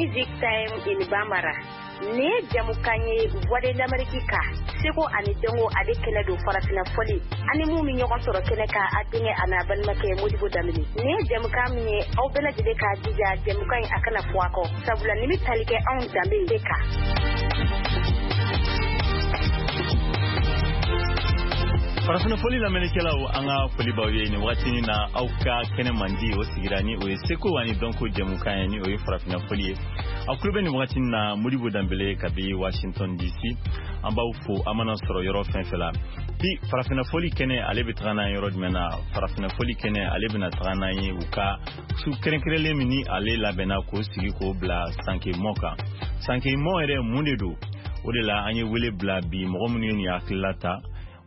Music Time in Bambara. Nin ye jamukan ye Voix de l'Amérique kan, seko ani dɔnko ale kɛnɛ don, farafinna fɔli ani mun bɛ ɲɔgɔn sɔrɔ kɛnɛ kan, a denkɛ a n'a balimakɛ Modibo Danbele. Nin ye jamukan min ye, aw bɛɛ lajɛlen k'a jija jamukan in a kana fɔ a kɔ, sabula nin bɛ tali kɛ anw danbe de kan. Farafinna fɔli lamɛnnikɛlaw, an ka foli b'aw ye nin wagati na. Aw ka kɛnɛ mandi o sigira ni o ye seko ani dɔnko jɛmukan ye, ni o ye farafinna fɔli ye. Aw tulo bɛ nin wagati na Modibo Danbele kabi Washington DC. An b'aw fo an mana sɔrɔ yɔrɔ fɛn fɛn la. Bi farafinna fɔli kɛnɛ, ale bɛ taga n'an yɔrɔ jumɛn na? Farafinna fɔli kɛnɛ, ale bɛna taga n'an ye u ka su kɛrɛnkɛrɛnlen min ni ale labɛnna k'o sigi k'o bila Sankemɔ kan. Sankemɔ yɛrɛ mun de don? O de la an ye wele bila bi mɔgɔ minnu ye nin hakilila ta,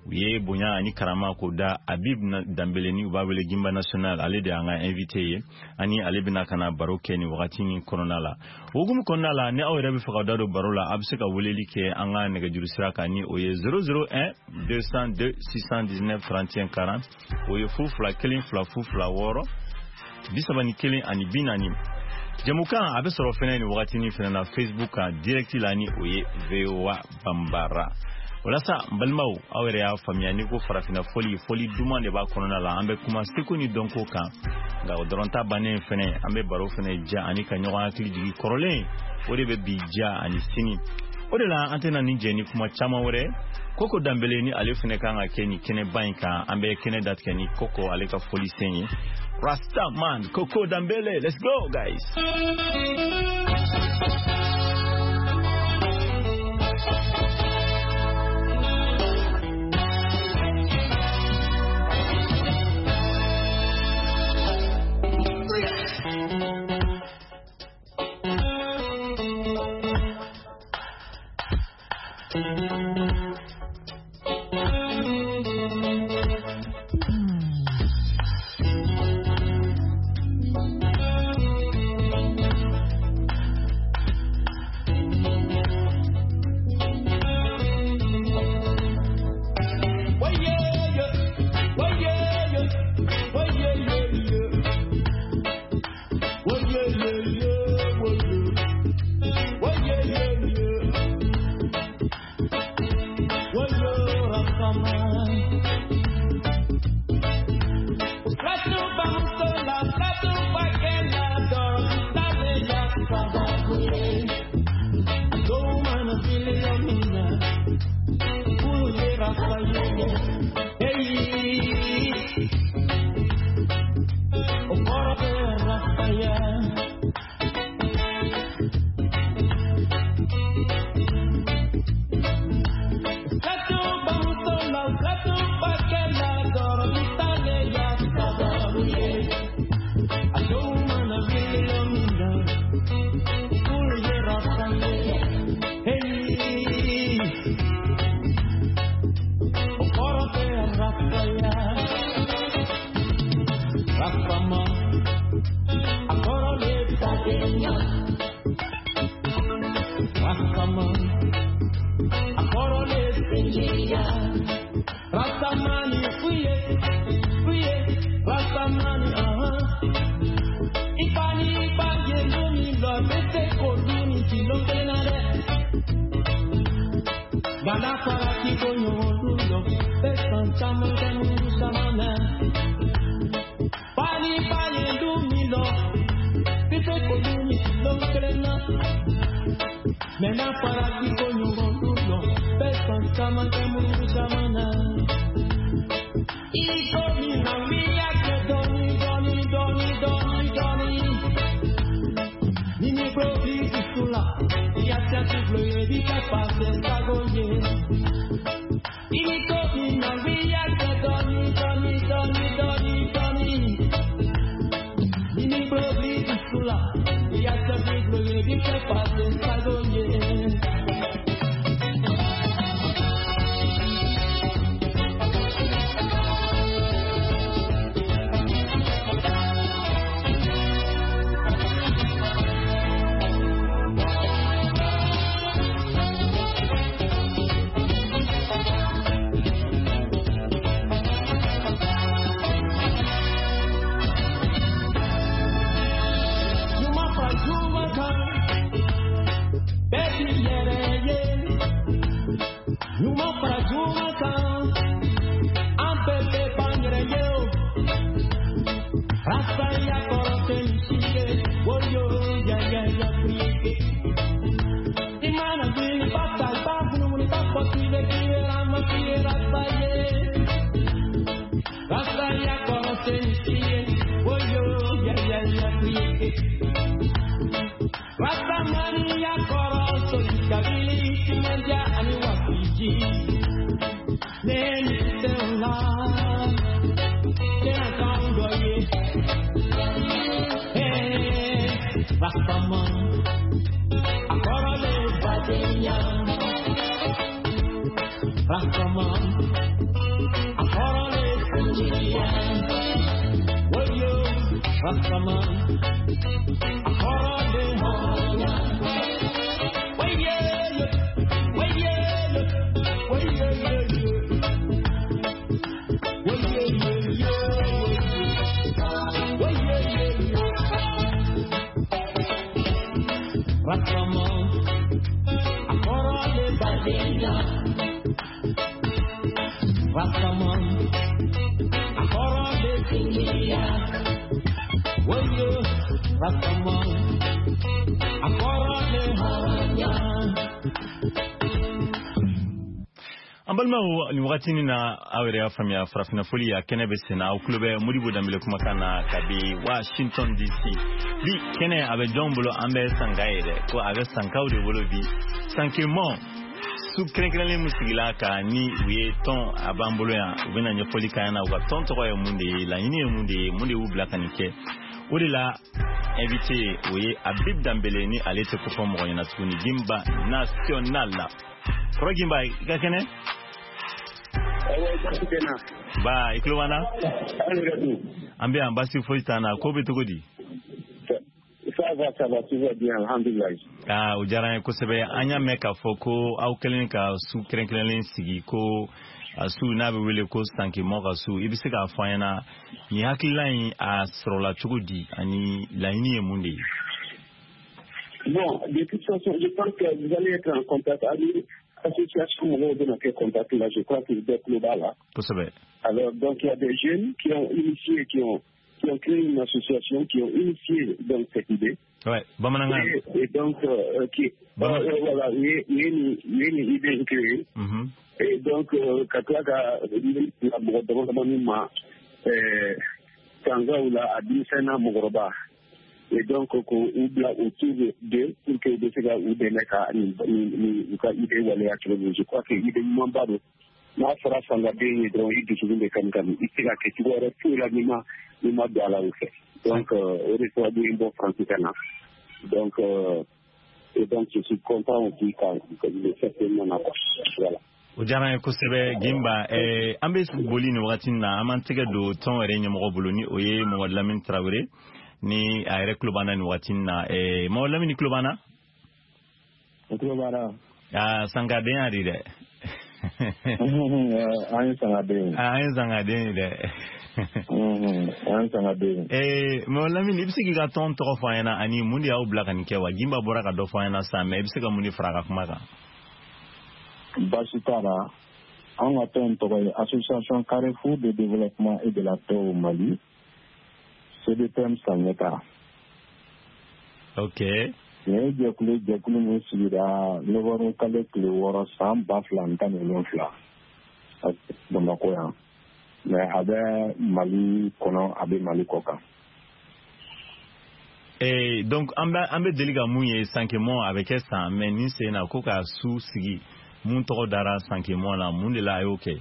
u ye bonya ani karama k'o da Habib Danbele, ni u b'a wele Gimba National. Ale de y'an ka invité ye, ani ale bɛna ka na baro kɛ nin wagati nin kɔnɔna la. O hukumu kɔnɔna la, ni aw yɛrɛ bɛ fɛ ka da don baro la, a bɛ se ka weleli kɛ an ka nɛgɛjuru sira kan, ni o ye 001 202 619 31 40. O ye 0 2 1 2 0 2 6 31 ani 40. Jamukan a bɛ sɔrɔ fɛnɛ nin wagati nin fɛnɛ na Facebook kan direct la, ni o ye VOA Bambara. Walasa n balimaw, aw yɛrɛ y'a faamuya, n'i ko farafinna fɔli, fɔli duman de b'a kɔnɔna la. An bɛ kuma seko ni dɔnko kan, nka o dɔrɔn ta bannen fɛnɛ, an bɛ baro fɛnɛ ja ani ka ɲɔgɔn hakili jigi kɔrɔlen, o de bɛ bi ja ani sini. O de la an tɛna nin jɛ ni kuma caman wɛrɛ. Koko Danbele ni ale fɛnɛ kan ka kɛ nin kɛnɛba in kan. An bɛ kɛnɛ datigɛ ni Koko ale ka fɔlisen ye. Rasta man Koko Danbele, let's go guys. diz, nem teu lar, Rastaman, agora levadinha. Rastaman, agora levadinha. Oyo, Rastaman, agora levadinha. Oye, oye, oye, Rastaman, agora levadinha. Rastaman, agora levadinha. Oyo, Rastaman, agora levadinha. An balimaw, nin wagati nin na, aw yɛrɛ y'a faamuya, farafinna foli a kɛnɛ bɛ sen na. Aw tulo bɛ Modibo Danbele kumakan na kabi Washington DC. Bi kɛnɛ a bɛ jɔn bolo? An bɛ Sanka ye dɛ, ko a bɛ Sankaw de bolo bi. Sankemɔ su kɛrɛnkɛrɛnlen min sigila ka ni u ye tɔn a b'an bolo yan, u bɛna ɲɛfɔli k'an ɲɛna u ka tɔn tɔgɔ ye mun de ye, laɲini ye mun de ye, mun de y'u bila ka nin kɛ. O de la invité o ye Habib Danbele, ni ale tɛ kofɔ mɔgɔ ɲɛna tuguni, Gimba National la. Kɔrɔ Gimba, i ka kɛnɛ? Ba, i tulo b'an na? An bɛ yan, baasi foyi t'an na. Ko bɛ cogo di? Ça va, ça va, tout va bien, alhamdulillah. Ah, o diyara an ye kosɛbɛ. An y'a mɛn k'a fɔ ko aw kɛlen ka su kɛrɛnkɛrɛnlen sigi, ko a su n'a bɛ wele ko Sankemɔ ka su. I bɛ se k'a fɔ an ɲɛna nin hakilila in a sɔrɔla cogo di ani laɲini ye mun de ye? Bon, de toute façon, je pense que vous allez être en contact avec l'association mɔgɔw bɛna kɛ contact là, je crois que bɛɛ tulo b'a la. Kosɛbɛ. Alors, donc, il y a des jeunes qui ont initié, qui ont créé une association, qui ont initié donc cette idée. Ouais, bamanankan. Et donc, qui, voilà, u ye nin idée créée. Et donc, ka tila ka bila mɔgɔ dama damani ma sangaw la, a denmisɛn n'a mɔgɔkɔrɔba. Et donc, k'u bila autour d'eux pour que u bɛ se ka u dɛmɛ ka nin u ka idée waleya cogo min. Je crois que idée ɲumanba don. N'a fɔra fangaden ye dɔrɔn, i dusukun bɛ kami kami, i tɛ se ka kɛ cogo wɛrɛ foyi la n'i ma don a la o fɛ. Donc, o de sababu ye n bɔ France ka na. Donc, et donc je suis content aussi ka le fait que n nana quoi. Voilà. O diyara an ye kosɛbɛ, Gimba. An bɛ boli nin wagati in na, an b'an tɛgɛ don tɔn yɛrɛ ɲɛmɔgɔ bolo, ni o ye Mamadu Lamini Tarawele, ni a yɛrɛ tulo b'an na nin wagati in na. Mamadu Lamini, tulo b'an na? N tulo b'a la. Aa, sankaden y'a di dɛ. An ye sangaden ye. An ye sangaden ye dɛ. An ye sangaden ye. Mamadu Lamini, i bɛ se k'i ka tɔn tɔgɔ fɔ an ɲɛna ani mun de y'aw bila ka nin kɛ wa? Gimba bɔra ka dɔ fɔ an ɲɛna sisan, mais i bɛ se ka mun de fara a ka kuma kan? Baasi t'a la. An ka tɔn tɔgɔ ye Association Carrefour de développement et de la paix au Mali, CDPM Saɲɛta. Nin ye jɛkulu ye, jɛkulu min sigira novembre kalo tile 6 san 2017 Bamakɔ yan, mais a bɛ Mali kɔnɔ, a bɛ Mali kɔ kan. Donc an bɛ deli ka mun ye, Sankemɔ a bɛ kɛ san, mais nin sen na ko ka su sigi mun tɔgɔ dara Sankemɔ la, mun de la a y'o kɛ?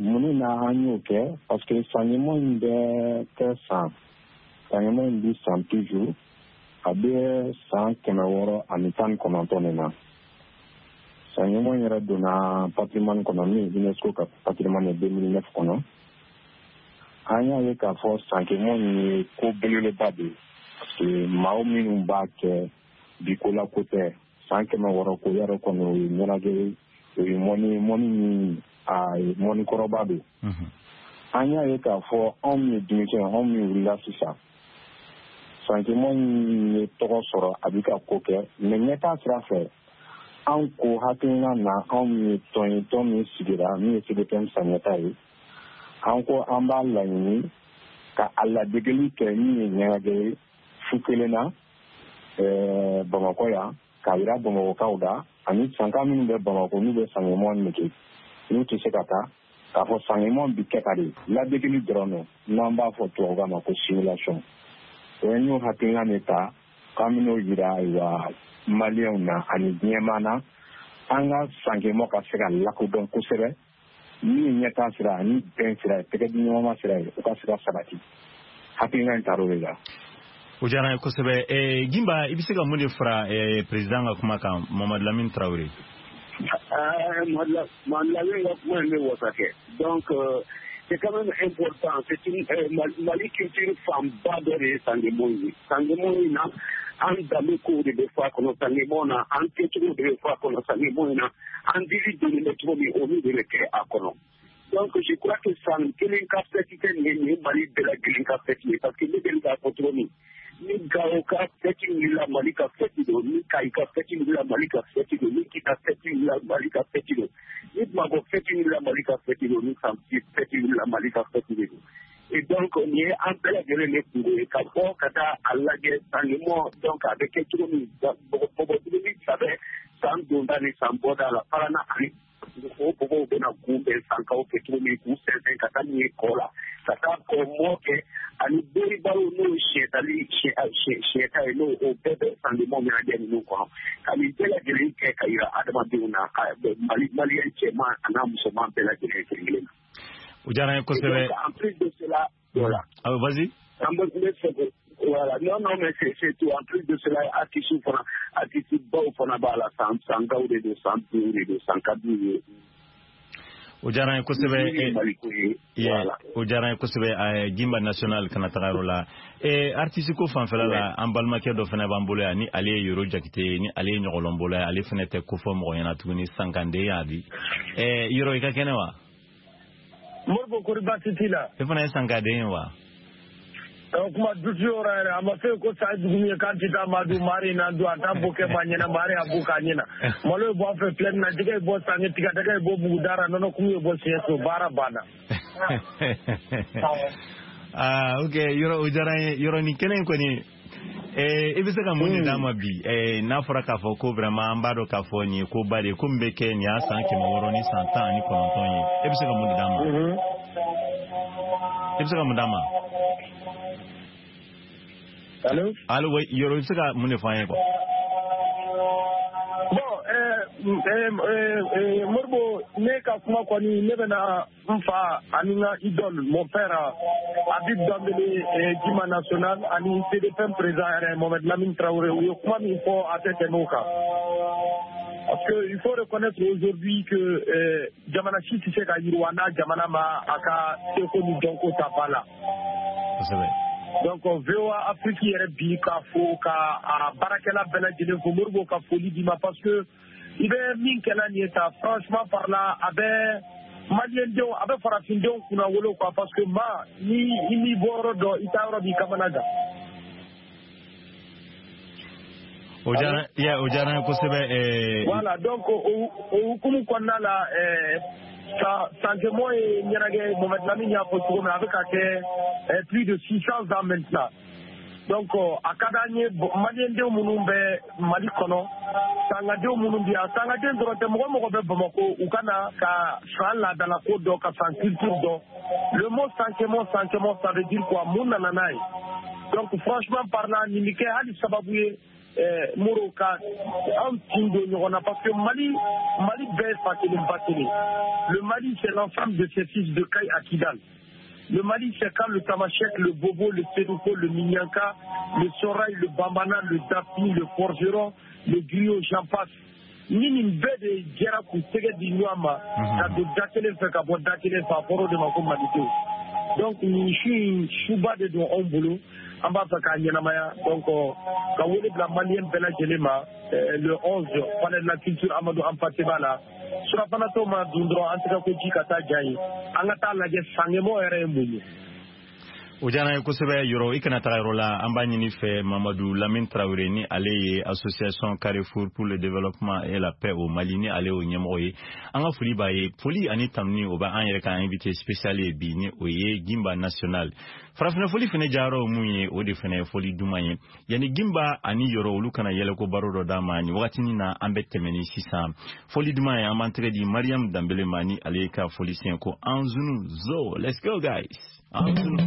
Mun na an y'o kɛ? Parce que Sankemɔ in bɛ kɛ san, Sankemɔ in bi san toujours, a bɛ san 619 de na. Sankemɔ in yɛrɛ donna patrimoine kɔnɔ, min ye UNESCO ka patrimoine ye 2009 kɔnɔ. An y'a ye k'a fɔ Sankemɔ in ye ko belebeleba de ye, parce que maaw minnu b'a kɛ bi, ko la ko tɛ, san 600 ko yɛrɛ kɔni, o ye ɲɛnajɛ ye, o ye mɔni mɔni min a ye mɔni kɔrɔba don. An y'a ye k'a fɔ anw min ye denmisɛn, anw min wulila sisan, Sankemɔ in ye tɔgɔ sɔrɔ, a bɛ ka ko kɛ, mais ɲɛtaa sira fɛ, an ko hakilina na, anw min ye tɔn ye, tɔn min sigira min ye CDPM Saɲɛta ye, an ko an b'a laɲini ka a ladegeli kɛ min ye ɲɛnajɛ ye su kelen na Bamakɔ yan, k'a yira Bamakɔkaw da ani sanka minnu bɛ Bamakɔ, n'u bɛ Sankemɔ nege, n'u tɛ se ka taa, k'a fɔ Sankemɔ bi kɛ ka de ladegeli dɔrɔn don, n'an b'a fɔ tubabukan ma ko simulation. O ye, n y'o hakilina de ta k'an bɛn'o yira, ayiwa, Maliyɛnw na ani diɲɛmaa na. An ka Sankemɔ ka se ka lakodɔn kosɛbɛ, min ye ɲɛtaa sira ani bɛn sira ye, tɛgɛ di ɲɔgɔnma sira ye, o ka se ka sabati. Hakilina in taar'o de la. O diyara n ye kosɛbɛ. Gimba, i bɛ se ka mun de fara président ka kuma kan, Mamadu Lamine Traoré? Mamadu Lamine ka kuma in bɛ wasa kɛ. Donc c'est quand même important. C'est une Mali culture fanba dɔ de ye Sankemɔ ye. Sankemɔ in na, an danbe kow de bɛ fɔ a kɔnɔ Sankemɔ na, an kɛcogo de bɛ fɔ a kɔnɔ Sankemɔ in na, an dili donnen bɛ cogo min, olu de bɛ kɛ a kɔnɔ. Donc je crois que san kelen ka fête tɛ nin ye, nin ye Mali bɛɛ lajɛlen ka fête ye, parce que ne deli k'a fɔ cogo min, ni Gawo ka fête wulila, Mali ka fête don, ni Kayi ka fête wulila, Mali ka fête don, ni Kita fête wulila, Mali ka fête don, ni Bamakɔ fête wulila, Mali ka fête don, ni San fête wulila, Mali ka fête de don. Et donc nin ye an bɛɛ lajɛlen de kungo ye ka bɔ ka taa a lajɛ Sankemɔ. Donc a bɛ kɛ cogo min, bɔgɔ saba san donda ni san bɔda la, Parana ani o bɔgɔw bɛna kunbɛn Sankaw kɛ cogo min, k'u sɛnsɛn ka taa n'u ye kɔ la, ka taa kɔ mɔ kɛ, ani boribaro n'o ye siyɛtali siyɛta ye, n'o o bɛɛ bɛ Sankemɔ ɲɛnajɛ ninnu kɔnɔ, ka nin bɛɛ lajɛlen kɛ ka yira adamadenw na, ka Mali maliyɛn cɛman a n'a musoman bɛɛ lajɛlen kelen kelen na. O diyara n ye kosɛbɛ. En plus de cela, voilà. Ah, vas-y. An bɛ fɛ, voilà. Non, non, mais c'est tout. En plus de cela, artiste fana, artiste baw fana b'a la, san sankaw de don, san duuru de don, san ka d'u ye. O diyara n ye kosɛbɛ. O diyara n ye kosɛbɛ. Gimba National kana taga yɔrɔ la. Artiste ko fanfɛla la, an balimakɛ dɔ fana b'an bolo yan, ni ale ye Yoro Jakite ye, ni ale ye ɲɔgɔlɔnbɔla ye, ale fana tɛ ko fɔ mɔgɔ ɲɛna tuguni, Sankanden y'a di. Yoro, i ka kɛnɛ wa? Moribo, kori baasi t'i la? E fana ye Sankaden ye wa? Kuma dusu yɔrɔ yɛrɛ a ma fɛ ko sa dugu min ye k'an tɛ taa Madu mari na don a t'a bɔ kɛ ma ɲɛna mari a b'u k'a ɲɛna malo ye bɔ an fɛ filɛ na, jɛgɛ ye bɔ sange, tigadɛgɛ ye bɔ bugudara, nɔnɔ kumu ye bɔ siɲɛso, baara banna. Ah, ok, yɔrɔ o diyara n ye. Yɔrɔ nin kɛnɛ in kɔni, i bɛ se ka mun de d'a ma bi, n'a fɔra k'a fɔ ko vraiment an b'a dɔn k'a fɔ nin ye koba de ye, ko min bɛ kɛ nin y'a san 619 ye, e bɛ se ka mun de d'a ma? E bɛ se ka mun d'a ma? Allô? Allô, oui, Yoro, i bɛ se ka mun de fɔ an ye quoi? Bon, Moribo, ne ka kuma kɔni, ne bɛna n fa ani n ka idole, mon père Habib Dambélé, Gimba National ani CDPM président yɛrɛ Mohamed Lamine Traoré, u ye kuma min fɔ, a tɛ tɛmɛ o kan. Parce que il faut reconnaître aujourd'hui que jamana si tɛ se ka yiriwa n'a jamana ma a ka seko ni dɔnko ta ba la. Kosɛbɛ. Donc VOA Afrique yɛrɛ bi k'a fo ka a baarakɛla bɛɛ lajɛlen fo, Moribo ka foli d'i ma, parce que i bɛ min kɛla nin ye ta, franchement parlant, a bɛ maliyɛndenw, a bɛ farafindenw kunna wolo quoi, parce que ma ni i m'i bɔ yɔrɔ dɔn, i taa yɔrɔ b'i kamana gan. O diyara o diyara n ye kosɛbɛ. Voilà, donc o hukumu kɔnɔna la, Sankemɔ ye ɲɛnajɛ, Mohamed Lamine y'a fɔ cogo min, a bɛ ka kɛ plus de 600 ans maintenant. Donc a ka d'an ye maliyɛndenw minnu bɛ Mali kɔnɔ, sangadenw minnu bɛ yan, sangaden dɔrɔn tɛ, mɔgɔ mɔgɔ bɛ Bamakɔ, u ka na ka san laadalako dɔn, ka san culture dɔn. Le mot Sankemɔ, Sankemɔ, ça veut dire quoi? Mun nana n'a ye? Donc franchement parlant, nin bɛ kɛ hali sababu ye Moro ka anw tin don ɲɔgɔn na, parce que Mali, Mali bɛɛ ye fa kelen ba kelen. Le Mali, c'est l'ensemble de ses fils de Kayes à Kidal. Le Mali, c'est quand le Tamashek, le Bobo, le Sénoufo, le Minyanka, le Soraï, le Bambana, le Dapi, le forgeron, le griot, j'en passe. Ni nin bɛɛ de jɛra k'u tɛgɛ di ɲɔgɔn ma ka don da kelen fɛ ka bɔ da kelen fɛ, a fɔra o de ma ko malidenw. Donc nin su in, suba de don anw bolo, an b'a fɛ k'a ɲɛnamaya. Donc ka wele bila maliyɛn bɛɛ lajɛlen ma, le 11, palais de la culture Amadou Hampâté Bâ la, surafanatɔ ma dun dɔrɔn an tɛgɛ ko ji ka taa ja ye, an ka taa lajɛ Sankemɔ yɛrɛ ye mun ye. O diyara n ye kosɛbɛ. Yɔrɔ, i kana taga yɔrɔ la, an b'a ɲini fɛ Mamadu Lamine Traoré, ni ale ye association Carrefour pour le développement et la paix au Mali, ni ale y'o ɲɛmɔgɔ ye, an ka foli b'a ye, foli ani tanuni o b'an yɛrɛ ka invité spécial ye bi, ni o ye Gimba National. Farafinna foli fɛnɛ jayɔrɔ mun ye, o de fɛnɛ ye foli duman ye. Yanni Gimba ani Yɔrɔ olu kana yɛlɛko baro dɔ d'a ma nin wagatinin na, an bɛ tɛmɛ ni sisan foli duman ye, an b'an tɛgɛ di Mariam Danbele ma, ni ale ka foli sen ko Anzunu Zo. Let's go guys, Anzunu.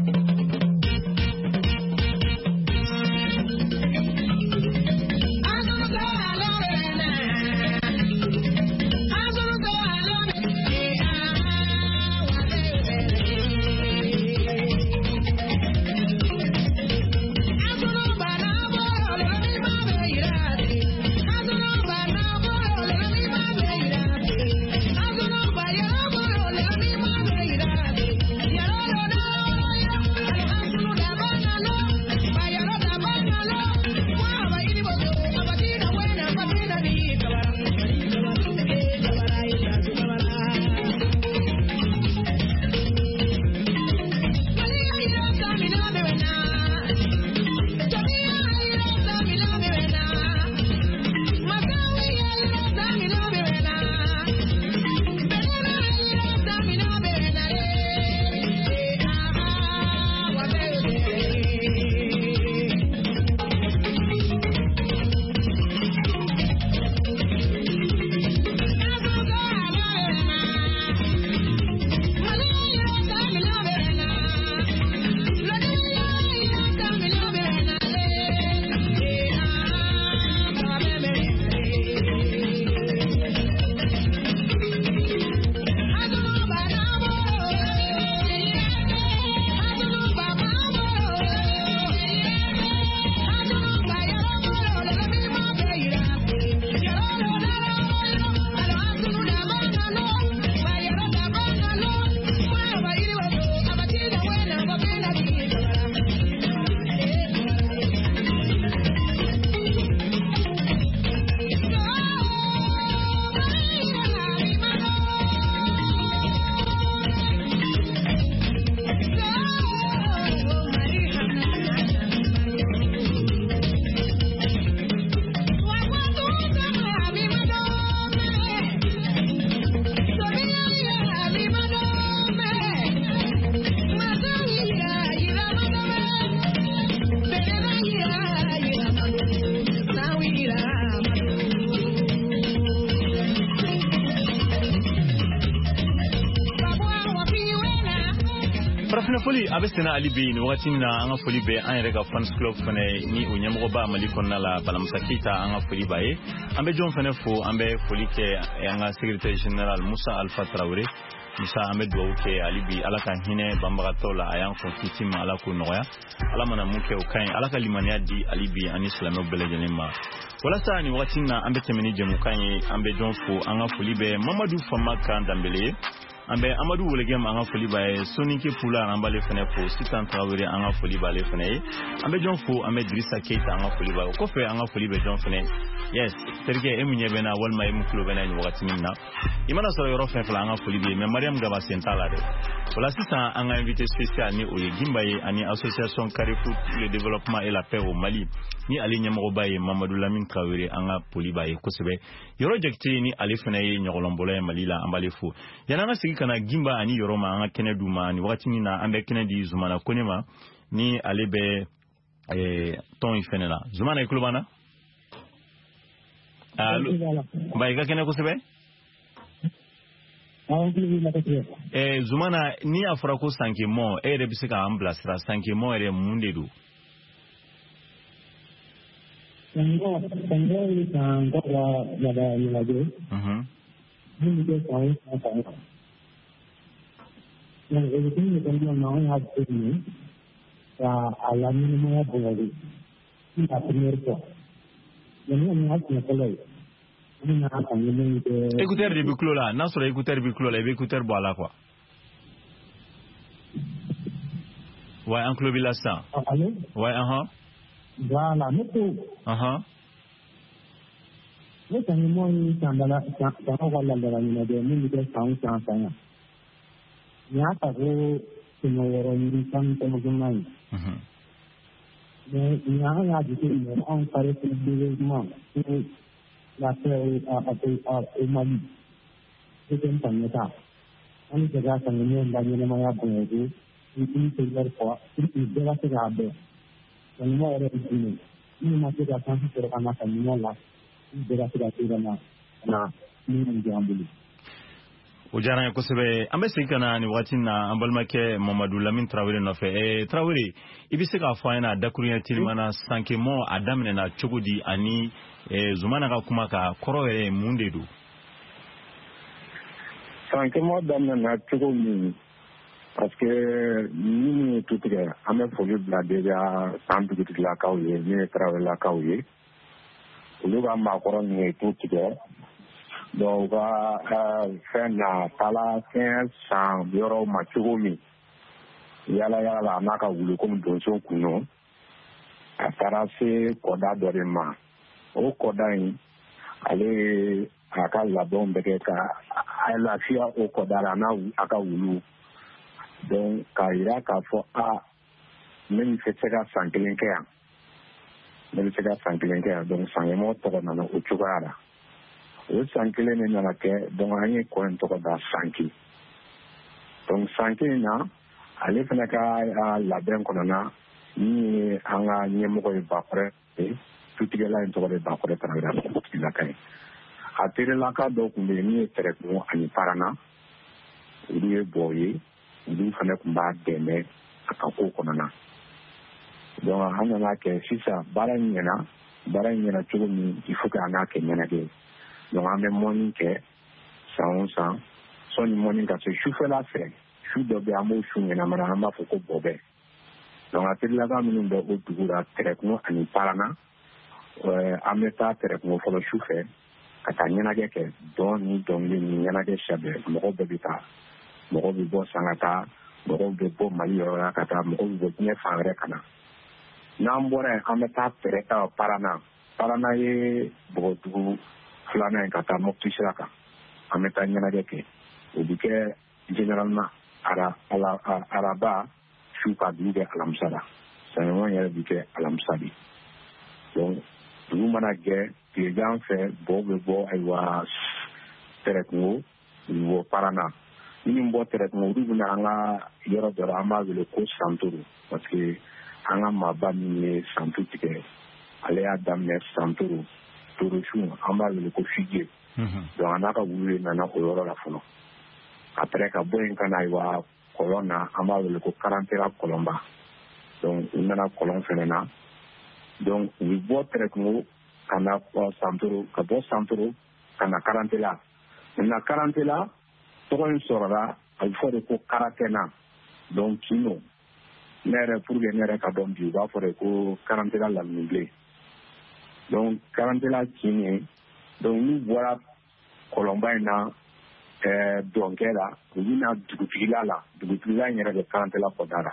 Farafinna foli a bɛ senna hali bi nin wagati in na. An ka foli bɛ an yɛrɛ ka fans club fɛnɛ ni o ɲɛmɔgɔba Mali kɔnɔna la, Balamusa Keyita, an ka foli b'a ye. An bɛ jɔn fɛnɛ fo? An bɛ foli kɛ an ka secrétaire général Musa Alpha Tarawele. Musa, an bɛ dugawu kɛ hali bi, Ala ka hinɛ banbagatɔw la. A y'an kɔn kiti ma, Ala k'o nɔgɔya. Ala mana mun kɛ, o ka ɲi. Ala ka limaniya di hali bi ani silamɛw bɛɛ lajɛlen ma. Walasa nin wagati na, an bɛ tɛmɛ ni jɛmukan ye. An bɛ jɔn fo? An ka foli bɛ Mamadu Fama kan Danbele ye. An bɛ Amadu Welegɛm, an ka foli b'a ye. Soninke Pula, an b'ale fɛnɛ fo. Sitan Tarawele, an ka foli b'ale fɛnɛ ye. An bɛ jɔn fo? An bɛ Dirisa Keyita, an ka foli b'a ye. O kɔfɛ, an ka foli bɛ jɔn fɛnɛ? Yes, terikɛ, e mun ɲɛ bɛ n na walima e mun tulo bɛ n na nin wagati min na, i mana sɔrɔ yɔrɔ fɛn fɛn, an ka foli bɛ yen. Mais Mariam Gaba sen t'a la dɛ. O la sisan, an ka invité spécial ni o ye Gimba ye ani association Carrefour pour le développement et la paix au Mali, ni ale ɲɛmɔgɔba ye Mamadu Lamine Traoré, an ka foli b'a ye kosɛbɛ. Yɔrɔ Jakite, ni ale fana ye ɲɔgɔlɔnbɔla ye Mali la, an b'ale fo. Yanni an ka segin ka na Gimba ani Yɔrɔ ma, an ka kɛnɛ d'u ma. Nin wagati min na, an bɛ kɛnɛ di Zumana Kone ma, ni ale bɛ tɔn in fɛnɛ la. Zumana, i tulo b'an na? Allo, ba, i ka kɛnɛ kosɛbɛ. Zumana, ni a fɔra ko Sankemɔ, e yɛrɛ bɛ se k'an bilasira, Sankemɔ yɛrɛ mun de don? Sankemɔ ye san ka laada ɲɛnajɛ min bɛ kɛ san o san san kan. Donc o hukumu de kɔnɔna na, anw y'a jateminɛ ka a la ɲɛnamaya bonya de. C'est la première fois. Mais nin y'a siɲɛ fɔlɔ ye. An bɛna Sankemɔ in kɛ. Écouteur de bɛ tulo la. N'a sɔrɔ écouteur bɛ tulo la, i bɛ écouteur bɔ a la quoi. Ouais, an tulo b'i la sisan. Allo? Ouais, ahan. Voilà, ne ko. Ne Sankemɔ ye sandala sanw ka laadala ɲɛnajɛ min bɛ kɛ san o san san yan. Nin y'a ta ko 619 ye. Mais nin an y'a jateminɛ, anw Carrefour développement pour la paix au Mali, deuxième Sankɛta, an bɛ fɛ ka Sankemɔ in ka ɲɛnamaya bonya ko une première fois pour que bɛɛ ka se k'a dɔn Sankemɔ yɛrɛ ye jumɛn ye. Minnu ma se ka chance sɔrɔ ka na Sankemɔ la, bɛɛ ka se ka se ka na ka na min bɛ an bolo. O diyara an ye kosɛbɛ. An bɛ segin ka na nin wagati na an balimakɛ Mamadu Lamine Tarawele nɔfɛ. Tarawele, i bɛ se k'a fɔ an ɲɛna dakuruɲɛ telima na, Sankemɔ a daminɛna cogo di, ani Zumana ka kuma ka kɔrɔ yɛrɛ ye mun de don? Sankemɔ daminɛna cogo min, parce que minnu ye tu tigɛ, an bɛ foli bila déjà san dugutigilakaw ye, min ye Tarawelelakaw ye, olu ka maakɔrɔ ninnu ye tu tigɛ. Donc u ka fɛn na taala fɛn san yɔrɔw ma cogo min, yala yala la, a n'a ka wulu komi donso kun don, a taara se kɔda dɔ de ma. O kɔda in, ale ye a ka labɛnw bɛɛ kɛ ka a lafiya o kɔda la n'a a ka wulu. Donc k'a yira k'a fɔ a ne bɛ se ka san kelen kɛ yan, ne bɛ se ka san kelen kɛ yan. Donc Sankemɔ tɔgɔ nana o cogoya la. O san kelen de nana kɛ. Donc an ye kɔ in tɔgɔ da Sanke. Donc Sanke in na, ale fana ka labɛn kɔnɔna, min ye an ka ɲɛmɔgɔ ye, Bakɔrɛ ye, tutigɛla in tɔgɔ de Bakɔrɛ Tarawele, dugutigilaka ye. A terelaka dɔw tun bɛ yen min ye Tɛrɛkungo ani Parana, olu ye bɔ ye, olu fana tun b'a dɛmɛ a ka ko kɔnɔna. Donc an nana kɛ sisan, baara in ɲɛna. Baara in ɲɛna cogo min, il faut que an k'a kɛ ɲɛnajɛ. Donc an bɛ mɔni kɛ san o san. Sɔnni mɔni ka se sufɛla fɛ, su dɔ bɛ, an b'o su ɲɛnamana, an b'a fɔ ko bɔbɛ. Donc a terilaka minnu bɛ o dugu la, Tɛrɛkungo ani Parana, an bɛ taa Tɛrɛkungo fɔlɔ su fɛ ka taa ɲɛnajɛ kɛ, dɔn ni dɔnkili ni ɲɛnajɛ siya bɛɛ. Mɔgɔw bɛɛ bɛ taa, mɔgɔw bɛ bɔ san ka taa, mɔgɔw bɛ bɔ Mali yɔrɔ la ka taa, mɔgɔw bɛ bɔ diɲɛ fan wɛrɛ ka na. N'an bɔra yen, an bɛ taa Tɛrɛ Parana. Parana ye bɔgɔdugu filanan ye ka taa Mopti sira kan. An bɛ taa ɲɛnajɛ kɛ. O bɛ kɛ généralement araba su ka dugu kɛ alamisa la. Sankemɔ yɛrɛ bɛ kɛ alamisa de. Donc dugu mana jɛ tilegan fɛ, bɔw bɛ bɔ ayiwa Tɛrɛkungo, u bɛ bɔ Parana. Minnu bɔ Tɛrɛkungo, olu bɛna an ka yɔrɔ dɔ la, an b'a wele ko Santoro, parce que an ka maaba min ye santu tigɛ, ale y'a daminɛ Santoro Torosun, an b'a wele ko Fije. Donc a n'a ka wulu de nana o yɔrɔ la fɔlɔ. Après ka bɔ yen ka na ayiwa Kɔlɔn na, an b'a wele ko Karantela kɔlɔnba. Donc u nana kɔlɔn fɛnɛ na. Donc u bɛ bɔ Tɛrɛkungo ka na Santoro, ka bɔ Santoro ka na Karantela. Maintenant Karantela tɔgɔ in sɔrɔla, a bɛ fɔ de ko Karatɛna. Donc kin don. Ne yɛrɛ, pour que ne yɛrɛ ka dɔn bi, u b'a fɔ de ko Karantela laminibilen. Donc Karantela kin ye. Donc n'u bɔra kɔlɔnba in na, dɔnkɛ la, u bɛna dugutigila la. Dugutigila in yɛrɛ bɛ Karantela kɔda la.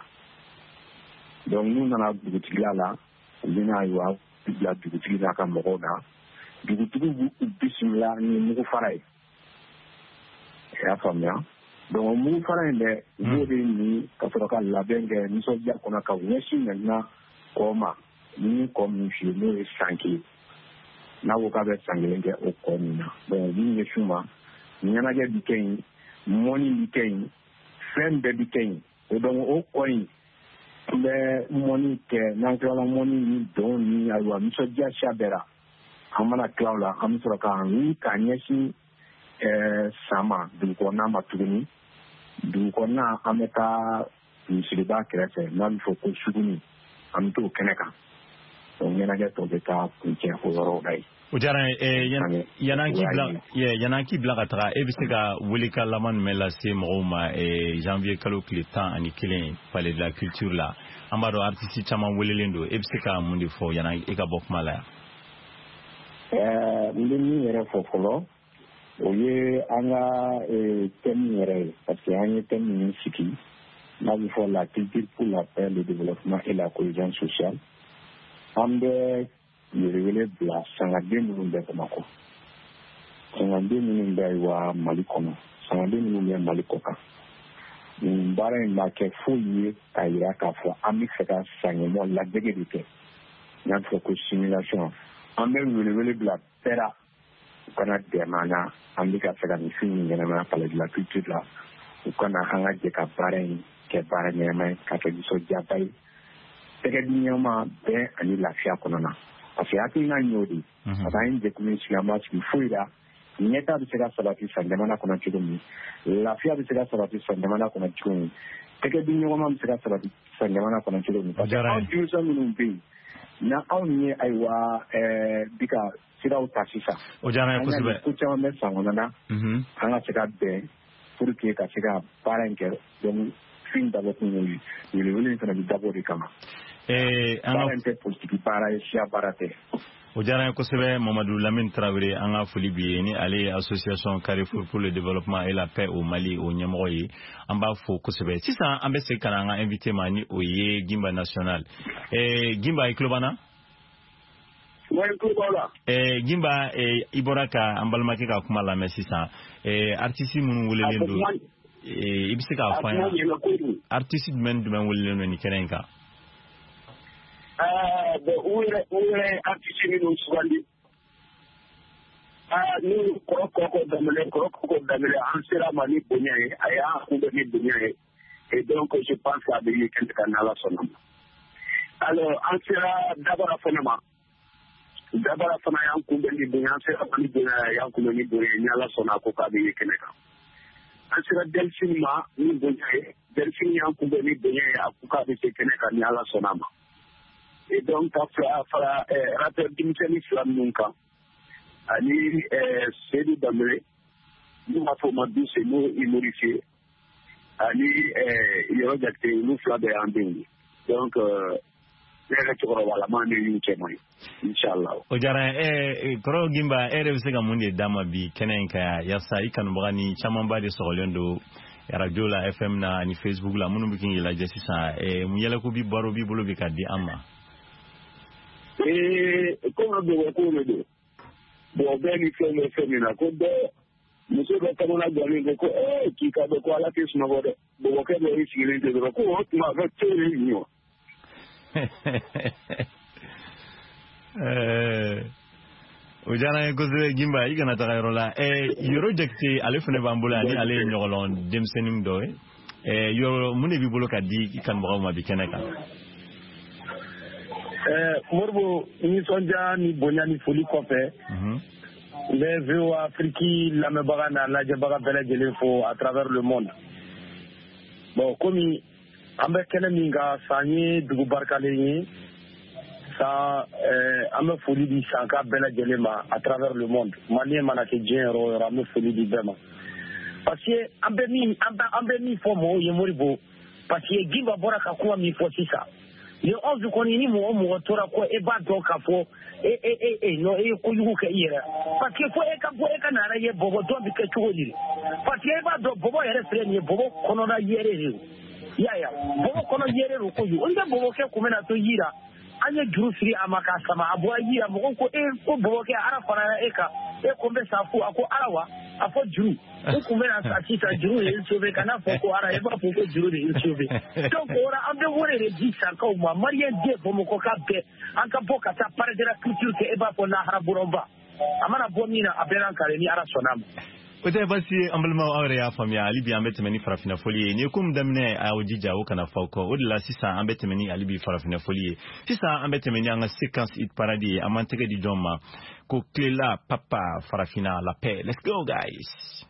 Donc n'u nana dugutigila la, u bɛna ayiwa bila dugutigi n'a ka mɔgɔw na. Dugutigi b'u bisimila ni mugu fara ye. I y'a faamuya? Donc mugu fara in dɛ, u b'o de min ka sɔrɔ ka labɛn kɛ nisɔndiya kɔnɔ ka ɲɛsin maintenant kɔ ma. Ni kɔ min f'i ye, n'o ye Sanke ye, n'a ko k'a bɛ san 1 kɛ o kɔ min na. Donc u b'u ɲɛsin u ma, ɲɛnajɛ bi kɛ yen, mɔni bi kɛ yen, fɛn bɛɛ bi kɛ yen. O donc o kɔ in, an bɛ mɔni kɛ. N'an tilala mɔni ni dɔn ni ayiwa nisɔndiya siya bɛɛ la, an mana tila o la, an bɛ sɔrɔ k'an wuli k'an ɲɛsin san ma, dugu kɔnɔna ma tuguni. Dugu kɔnɔna, an bɛ taa misiriba kɛrɛfɛ n'a bɛ fɔ ko Suguni, an bɛ t'o kɛnɛ kan. Donc ɲɛnajɛ tɔ bɛ taa kuncɛ o yɔrɔw la yen. O diyara n ye. Yan'an k'i bila ka taga, e bɛ se ka welekan laban jumɛn lase mɔgɔw ma janvier kalo tile 11 Palais de la Culture la? An b'a dɔn artiste caman welelen don. E bɛ se ka mun de fɔ yan'an e ka bɔ kuma la yan? N bɛ min yɛrɛ fɔ fɔlɔ, o ye an ka thème yɛrɛ ye, parce que an ye thème min sigi n'a bɛ fɔ la culture pour la paix, le développement et la cohésion sociale. An bɛ welewele bila sangaden minnu bɛ Bamakɔ, sangaden minnu bɛ ayiwa Mali kɔnɔ, sangaden minnu bɛ Mali kɔ kan. Nin baara in b'a kɛ foyi ye k'a yira k'a fɔ an bɛ fɛ ka sankɛmɔ ladege de kɛ, n'a bɛ fɔ ko simulation. An bɛ welewele bila bɛɛ la, u kana dɛmɛ an na. An bɛ ka fɛ ka nin fɛn in ɲɛnamaya Palais de la Culture la. U kana an ka jɛ ka baara in kɛ baara ɲɛnama ye, k'a kɛ nisɔndiyaba ye, tɛgɛ di ɲɔgɔn ma bɛn ani lafiya kɔnɔna na. Parce que hakilina y'o de ye. Parce que an ye jɛkulu in sigi, an b'a sigi foyi la. Ɲɛta bɛ se ka sabati san jamana kɔnɔ cogo min, lafiya bɛ se ka sabati san jamana kɔnɔ cogo min, tɛgɛ di ɲɔgɔn ma bɛ se ka sabati san jamana kɔnɔ cogo min. Parce que anw denmisɛn minnu bɛ yen, na anw ye ayiwa bi ka siraw ta sisan. O diyara n ye kosɛbɛ. Ko caman bɛ san kɔnɔ na, an ka se ka bɛn pour que ka se ka baara in kɛ. Donc fin dabɔ kun y'o ye, welewele in fana bɛ dabɔ o de kama. Baara in tɛ politiki baara ye, siya baara tɛ. O diyara n ye kosɛbɛ. Mamadu Lamine Tarawele, an ka foli b'i ye. Ni ale ye association Carrefour pour le développement et la paix au Mali o ɲɛmɔgɔ ye, an b'a fo kosɛbɛ. Sisan an bɛ segin ka na an ka invité ma, ni o ye Gimba National. Gimba, i tulo b'an na? Gimba, i bɔra ka an balimakɛ ka kuma lamɛn sisan. Artiste minnu welelen don, i bɛ se k'a fɔ an ye artiste jumɛn jumɛn welelen don nin kɛnɛ in kan? Bon, u yɛrɛ artiste minnu sugandi, ni kɔrɔ kɔkɔ daminɛ, kɔrɔ kɔkɔ daminɛ, an sera ma ni bonya ye, a y'an kunbɛn ni bonya ye. Et donc je pense k'a bɛ ye kɛnɛ kan n'Ala sɔnna ma. Alors an sera Dabara fana ma, Dabara fana y'an kunbɛn ni bonya, an sera ma ni bonya ye, a y'an kunbɛn ni bonya ye, ni Ala sɔnna a ko k'a bɛ ye kɛnɛ kan. An sera Delphine ma ni bonya ye, Delphine y'an kunbɛn ni bonya ye, a ko k'a bɛ se kɛnɛ kan ni Ala sɔnna ma. Et donc ka fara rappeur denmisɛnnin fila minnu kan, ani Seydou Danbele, n'u b'a fɔ o ma Duse, n'o ye humoriste, ani Yɔrɔ Jakite, olu fila bɛɛ y'an denw ye. Donc ne yɛrɛ cɛkɔrɔbalama ne y'u cɛman ye, inchallah. O diyara n ye. Kɔrɔ Gimba, e yɛrɛ bɛ se ka mun de d'a ma bi kɛnɛ in kan yan, yaasa i kanubaga ni camanba de sɔgɔlen don radio la, FM na ani Facebook la, minnu bɛ k'i lajɛ sisan, mun yɛlɛko bi baro b'i bolo bi ka di an ma? Komi bɔbɔ ko de don, bɔn bɛɛ ni fɛn bɛ fɛn min na, ko bɛɛ muso dɔ kamana gannen ko k'i ka dɔn ko Ala tɛ sunɔgɔ dɛ, bɔbɔkɛ dɔ y'i sigilen tɛ dɔrɔn ko o tuma a bɛ to yen ɲɔ. O diyara n ye kosɛbɛ. Gimba, i kana taga yɔrɔ la. Yoro Jakite, ale fana b'an bolo yan, ni ale ye ɲɔgɔlɔn denmisɛnnin dɔ ye. Yoro, mun de b'i bolo ka di i kanubagaw ma bi kɛnɛ kan? Moribo, nisɔndiya ni bonya ni foli kɔfɛ, n bɛ VOA Afrique lamɛnbaga n'a lajɛbaga bɛɛ lajɛlen fo à travers le monde. Bon, komi an bɛ kɛnɛ min kan, San ye dugu barikalen ye. San, an bɛ foli di Sanka bɛɛ lajɛlen ma à travers le monde. Malien mana kɛ diɲɛ yɔrɔ o yɔrɔ, an bɛ foli di bɛɛ ma. Parce que an bɛ min fɔ mɔgɔw ye, Modibo, parce que Gimba bɔra ka kuma min fɔ sisan, le 11 kɔni, ni mɔgɔ o mɔgɔ tora kɔ, e b'a dɔn k'a fɔ e e e e non, e ye kojugu kɛ i yɛrɛ, parce que fo e ka bɔ, e ka na ye bɔbɔ dɔn bɛ kɛ cogo di, parce que e b'a dɔn bɔbɔ yɛrɛ filɛ nin ye, bɔbɔ kɔnɔna yɛrɛ de don. I y'a ye, bɔbɔ kɔnɔ yɛrɛ don kojugu. O tɛ bɔbɔkɛ kun bɛna to yira, an ye juru siri a ma k'a sama, a bɔra yira, mɔgɔw ko e ko bɔbɔkɛ, Ala farala e kan, e ko n bɛ sa fu. A ko Ala wa? A fɔ juru, u kun bɛna sa sisan, juru de ye n sauvé. Kana fɔ ko Ala, e b'a fɔ ko juru de ye n sauvé. Donc o la, an bɛ wele de di Sankaw ma, malien den Bamakɔka bɛɛ, an ka bɔ ka taa palais de la culture kɛ, e b'a fɔ lahara bɔrɔnba, a mana bɔ min na, a bɛɛ n'an kare ni Ala sɔnna a ma. O tɛ basi ye, an balimaw, aw yɛrɛ y'a faamuya. Hali bi an bɛ tɛmɛ ni farafinna foli ye. Nin ye ko min daminɛ, a y'aw jija, o kana fɔ aw kɔ. O de la sisan an bɛ tɛmɛ ni hali bi farafinna foli ye. Sisan an bɛ tɛmɛ ni an ka séquence hit parade ye. An b'an tɛgɛ di jɔn ma? Ko Kilela Papa, Farafinna la paix. Let's go, guys.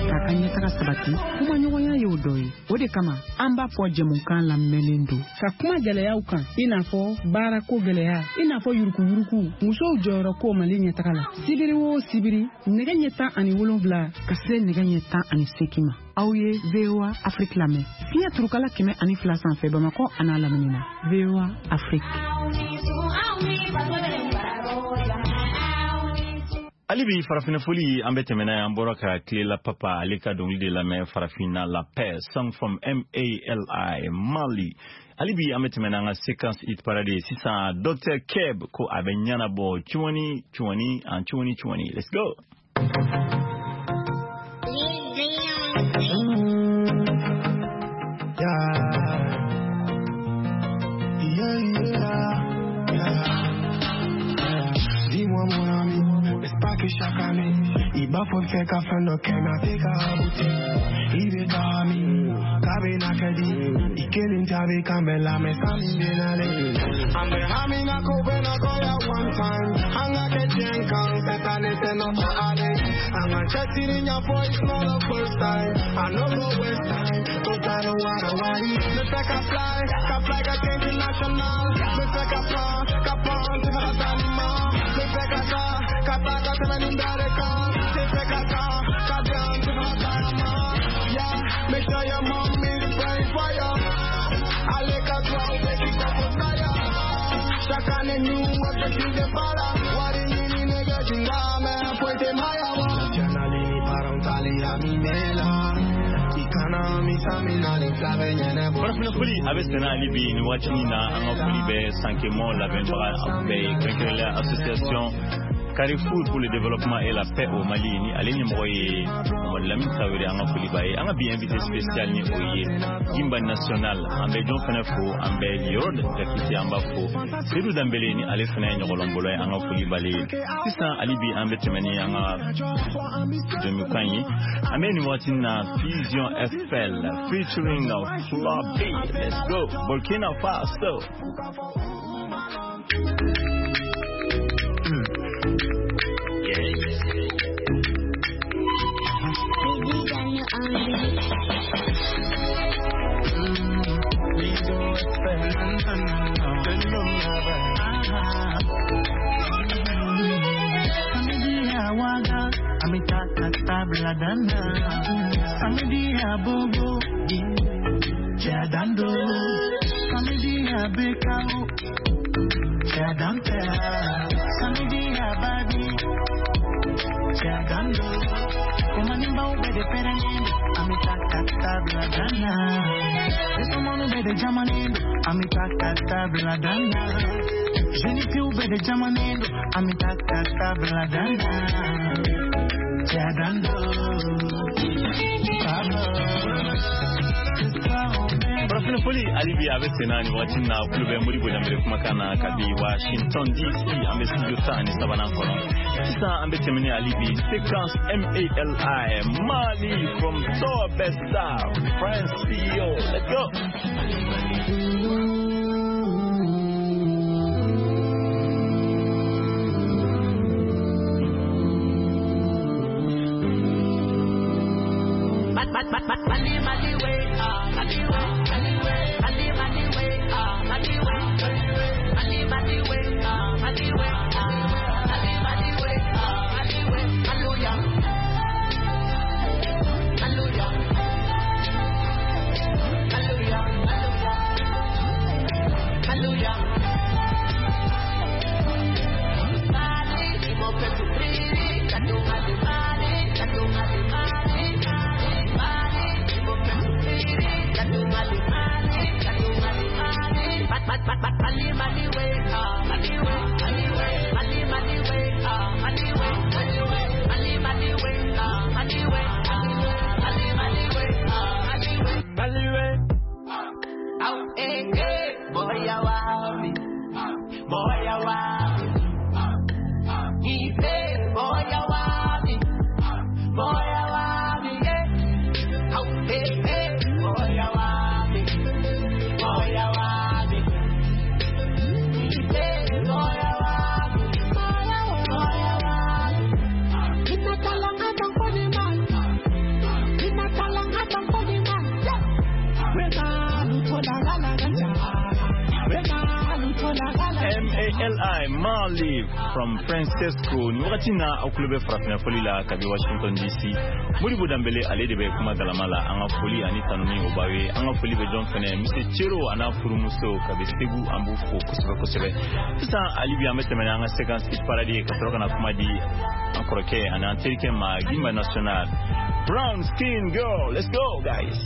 K'a ka ɲɛtaga sabati, kumaɲɔgɔnya y'o dɔ ye. O de kama an b'a fɔ jɛmukan lamɛnlen don ka kuma gɛlɛyaw kan, i n'a fɔ baarako gɛlɛya, i n'a fɔ yurukuyuruku, musow jɔyɔrɔ ko Mali ɲɛtaga la. Sibiri o sibiri, nɛgɛ ɲɛ 17 ka se nɛgɛ ɲɛ 18 ma, aw ye VOA Afrique lamɛn fiɲɛ turukala 102 sanfɛ, Bamakɔ a n'a lamini na. VOA Afrique. Hali bi farafinna foli, an bɛ tɛmɛ n'a ye. An bɔra ka Kilela Papa ale ka dɔnkili de lamɛn, Farafinna la paix, song from Mali, Mali. Hali bi an bɛ tɛmɛ n'an ka séquence hit parade ye. Sisan Dr Keb ko a bɛ ɲɛnabɔ cuwani cuwani an cuwani cuwani. Let's go. Dis-moi mon ami, n'est-ce pas que chaque année, il b'a fɔ fɛ ka fɛn dɔ kɛ, mais a tɛ ka abouti. I bɛ taa min k'a bɛ na kɛ di, i kelen ta bɛ kan bɛɛ la, mais san min bɛ nalen, an bɛ hami na ko bɛ nɔgɔya one time, an ka kɛ diɲɛ kan, cette année c'est notre année, an ka cɛsiri ɲɛfɔ, it's not the first time, I no go waste time, 'cause I don't wanna worry, n bɛ fɛ ka fly, ka fly ka kɛ international, n bɛ fɛ ka pan, ka pan, tɛ fɛ ka taa ni ma, n bɛ fɛ ka taa, ka taa ka tɛmɛ nin bɛɛ de kan, tɛ fɛ ka taa, ka jan, tɛ fɛ ka tagama, yeah, make sure your mom is praying for you, ale ka duwawu bɛ k'i kɔ fo saya, chaque année new objectif de baara, wari ɲini nɛgɛ jinga, mais foyi tɛ maya wa. Nationale ni parentali amimela, i kana misamina ni fila bɛ ɲɛnabɔ. Farafinna foli a bɛ senna hali bi nin waati in na. An ka foli bɛ Sankemɔ labɛnbaga bɛɛ ye, kɛrɛnkɛrɛnnenya association Carrefour pour le développement et la paix au Mali ni ale ɲɛmɔgɔ ye Mamadu Lamine Traoré, an ka foli b'a ye. An ka bi invité spécial ni o ye Gimba National, an bɛ jɔn fɛnɛ fo, an bɛ Yɔrɔ Jakite, an b'a fo, Seydou Danbele ni ale fɛnɛ ye ɲɔgɔlɔnbɔla ye, an ka foli b'ale ye. Sisan hali bi an bɛ tɛmɛ ni an ka jɛmukan ye. An bɛ nin wagati na Fusion FL featuring Fla B. Let's go, Burkina Faso. Samedi bobo Jadando Samedi bekao Jadante Samedi babi Jadando Kumanimba ubede perenendo Amita katabla dana Esomonu bede jamanendo Amita katabla dana Jenifi ubede jamanendo Amita katabla dana Jadando. Farafina foli hali bi a bɛ sen na nin wagati na, kulo bɛ Modibo Danbele kumakan na kabi Washington DC, an bɛ studio 13nan kɔnɔ. Sisan an bɛ tɛmɛ ni hali bi séquence MALI, Mali from Torbesta France CEO. Let's go. Mali, Mali, way, ah, Mali, way, Mali, way, Mali, Mali, way, ah, Mali, way, Mali, Mali, way, ah, Mali, way, Mali, Mali, way, ah, Mali, way, Hallelujah, Hallelujah, Hallelujah, Hallelujah. Mali, mo pesu priri, kadu Mali, Mali, kadu Mali, Mali. Mali, Mali, way, ah, Mali, way, Mali, way, Mali, Mali, way, ah, Mali, way, Mali, way, Mali, Mali, way, ah, Mali, way, Mali, Mali, way, ah, Mali, way, Mali, way. Out, eh, eh, boy, I want me, boy, I want me. He said, boy, I want me, boy, I want me, yeah. Out, eh, eh, boy, I want me, boy, I want me. MALI, Mali from Francesco. Ni wagati na aw kulo bɛ Farafina foli la kabi Washington DC. Modibo Danbele ale de bɛ kuma galama la. An ka foli ani tanuni o b'aw ye. An ka foli bɛ jɔn fɛnɛ, Monsieur Cero a n'a furumuso kabi Segu, an b'u fo kosɛbɛ kosɛbɛ. Sisan hali bi an bɛ tɛmɛ n'an ka séquence parade ye ka sɔrɔ ka na kuma di an kɔrɔkɛ ani an terikɛ ma, Gimba National, Brown Skin Girl. Let's go, guys.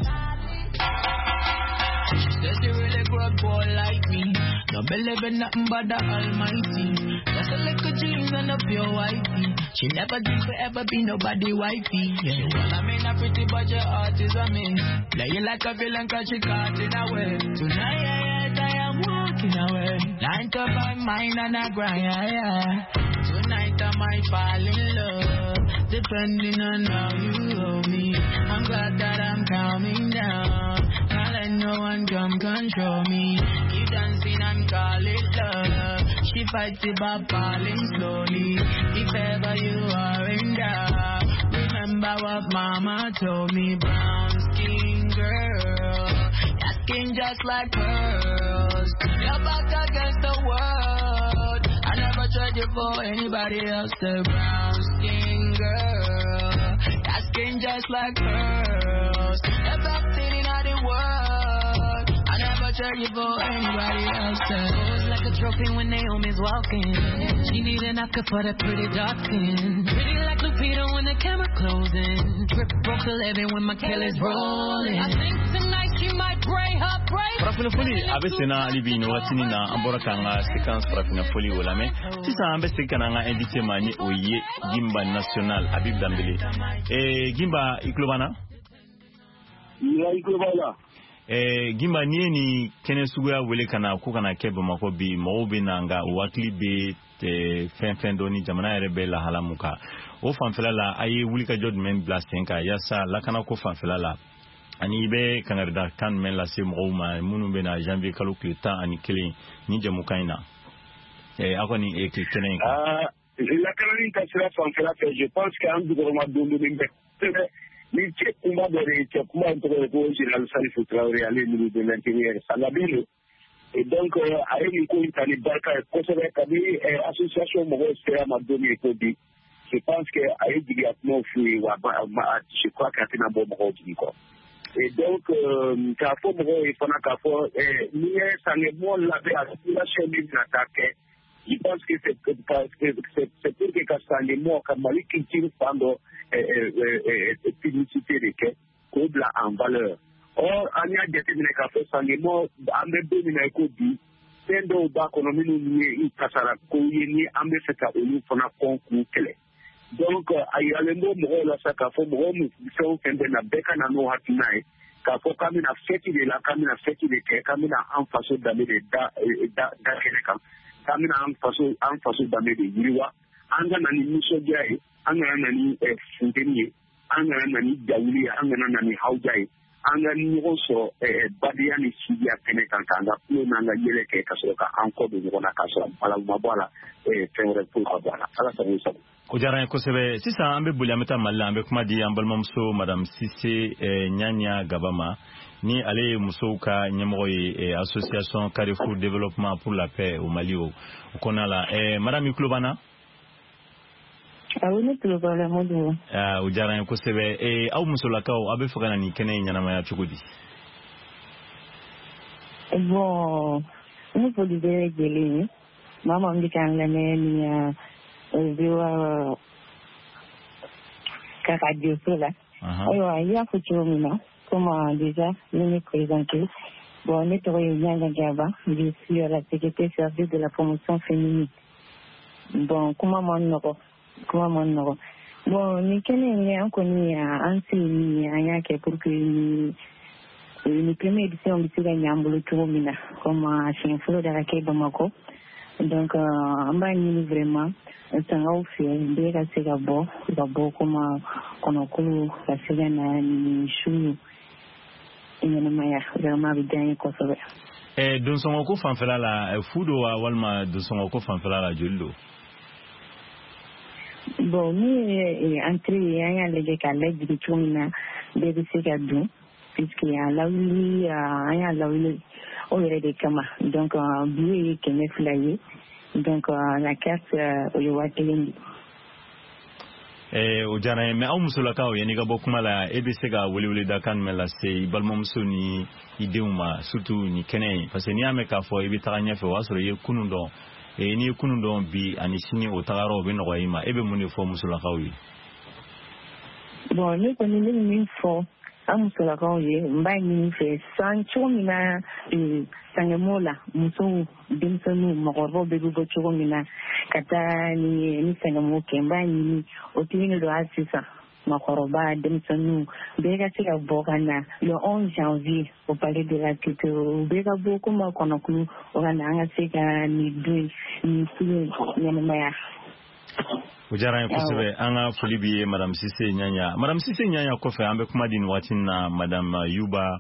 She says she really grew up boy like me. Don't believe in nothing but the Almighty. Just a little jeans and a pure white tee. She never dreamed forever be nobody wifey. Yeah. Well, I mean, not pretty, but your heart is a mean. Play you like a villain 'cause she caught in a way. Tonight, yeah, yeah, I am walking away. 9 to 5, mine and I grind, yeah, yeah. Tonight I might fall in love, depending on how you hold me. I'm glad that I'm calming down. Can't let no one come control me. Keep dancing and call it love. She fights it by falling slowly. If ever you are in doubt, remember what mama told me. Brown skin girl, your skin just like pearls. Your back against the world. I never tried you for anybody else. The brown skin girl, your skin just like pearls. The best thing in all the world. I never trade you for anybody else. Goes like a trophy when Naomi's walking. She need an Oscar for that pretty dark skin. Pretty like Lupita when the camera closing. Drip broke 11 when my Kelly's rolling. I think tonight she She might pray her prayer. Farafina foli a bɛ senna hali bi nin wagatinin na, an bɔra k'an ka séquence farafina foli o lamɛn. Sisan an bɛ segin ka na an ka invité ma, ni o ye Gimba National Habib Dambele. Gimba, i tulo b'an na? I tulo b'aw la. Gimba, n'i ye nin kɛnɛ suguya wele ka na ko ka na kɛ Bamakɔ bi, mɔgɔw bɛ na, nka u hakili bɛ fɛn fɛn dɔ ni jamana yɛrɛ bɛ lahala mun kan. O fanfɛla la, a ye wulikajɔ jumɛn bila sen kan yaasa lakanako fanfɛla la, ani i bɛ kangarida kan jumɛn lase mɔgɔw ma minnu bɛ na janvier kalo tile 11 ni jɛmukan in na, aw kɔni kɛnɛ in kan? Lakanani ka sira fanfɛla fɛ, je pense que an jukɔrɔma don bɛ ni cɛ kunba dɔ de ye. Cɛ kunba in tɔgɔ ye ko général Salifu Traoré, ale ye ministre de l'Intérieur sangaden don. Et donc a ye nin ko in ta ni barika ye kosɛbɛ. Kabi association mɔgɔw sera ma don min ko bi, je pense que a ye jigiya kumaw f'u ye, wa je crois que a tɛna bɔ mɔgɔw jigi kɔ. Et donc k'a fɔ mɔgɔw ye fana k'a fɔ n'i ye Sangemɔ labɛn, a situation min bɛna taa kɛ, je pense que c'est pour que ka Sangemɔ ka Mali culture fan dɔ publicité de kɛ k'o bila en valeur. Or an y'a jateminɛ k'a fɔ Sangemɔ, an bɛ don min na i ko bi, fɛn dɔw b'a kɔnɔ minnu ye kasara kow ye, ni an bɛ fɛ ka olu fana kɔn k'u kɛlɛ. Donc a yiralen bɔ mɔgɔw la sa k'a fɔ mɔgɔ min fɛn o fɛn bɛ na, bɛɛ ka na n'o hakilina ye k'a fɔ k'an bɛna fête de la, k'an bɛna fête de kɛ, k'an bɛna an faso danbe de da da da kɛnɛ kan, k'an bɛna an faso danbe de yiriwa. An ka na ni nisɔndiya ye, an kana na ni funteni ye, an kana na ni jawuli ye, an kana na ni hawuja ye. An ka ɲɔgɔn sɔrɔ badenya ni sidiya kɛnɛ kan, k'an ka tulon n'an ka yɛlɛ kɛ, ka sɔrɔ ka an kɔ don ɲɔgɔn na, k'a sɔrɔ balawu ma bɔ a la, fɛn wɛrɛ foyi ma bɔ a la. Ala sago i sago. O diyara an ye kosɛbɛ. Sisan an bɛ boli, an bɛ taa Mali la. An bɛ kuma di an balimamuso madame Sise Ɲaɲa Gaba ma, ni ale ye musow ka ɲɛmɔgɔ ye association Carrefour Développement pour la paix au Mali o kɔnɔna la. Madame, i tulo b'an na? Awɔ, ne tulo b'a la, Modibo. O diyara an ye kosɛbɛ. Aw musolakaw, aw bɛ fɛ ka na nin kɛnɛ in ɲɛnamaya cogo di? Bon, ne foli bɛ lajɛlen ye, maa maa min bɛ k'an lamɛn nin VOA ka radio so la. Ayiwa, i y'a fɔ cogo min na, comme déjà ne me présenter, bon, ne tɔgɔ ye Ɲanga Gaba, je suis la secrétaire chargée de la promotion féminine. Bon, kuma ma nɔgɔ, kuma ma nɔgɔ. Bon, nin kɛnɛ in, an kɔni an se ye min ye, an y'a kɛ pour que ni première édition bɛ se ka ɲɛ an bolo cogo min na, comme a siɲɛ fɔlɔ de ka kɛ Bamakɔ. Donc an b'a ɲini vraiment sangaw fɛ, bɛɛ ka se ka bɔ comme kɔnɔkulu ka se ka na nin su ɲɛnamaya. Vraiment, a bɛ diya n ye kosɛbɛ. Donsɔngɔ ko fanfɛla la, fu don wa, walima donsɔngɔ ko fanfɛla la, joli don? Bon, min ye entrée ye, an y'a lajɛ k'a lajigin cogo min na bɛɛ bɛ se ka don, puisque a lawuli, an y'a lawuli o yɛrɛ de kama. Donc billet ye 200 ye, donc la carte, o ye 1000 de. O diyara n ye. Mais aw musolakaw, yanni ka bɔ kuma la, e bɛ se ka weleweledakan jumɛn lase i balimamuso ni i denw ma, surtout nin kɛnɛ in? Parce que n'i y'a mɛn k'a fɔ i bɛ taga ɲɛfɛ, o y'a sɔrɔ i ye kunun dɔn. N'i ye kunun dɔn, bi ani sini o tagayɔrɔ o bɛ nɔgɔya i ma. E bɛ mun de fɔ musolakaw ye? Bon, ne kɔni, ne bɛ min fɔ an musolakaw ye, n b'a ɲini fɛ san cogo min na sangɛmɔw la, musow, denmisɛnninw, mɔgɔkɔrɔbaw bɛɛ bɛ bɔ cogo min na ka taa ni sangɛmɔw kɛ, n b'a ɲini o tigi de don hali sisan, mɔgɔkɔrɔba, denmisɛnninw, bɛɛ ka se ka bɔ ka na le 11 janvier au palais de la culture. Bɛɛ ka bɔ komi kɔnɔkulu, o ka na, an ka se ka nin don nin su ɲɛnamaya. O diyara n ye kosɛbɛ. An ka foli b'i ye, madame Sise Ɲaɲa. Madame Sise Ɲaɲa kɔfɛ, an bɛ kuma di nin waati in na madame Yuba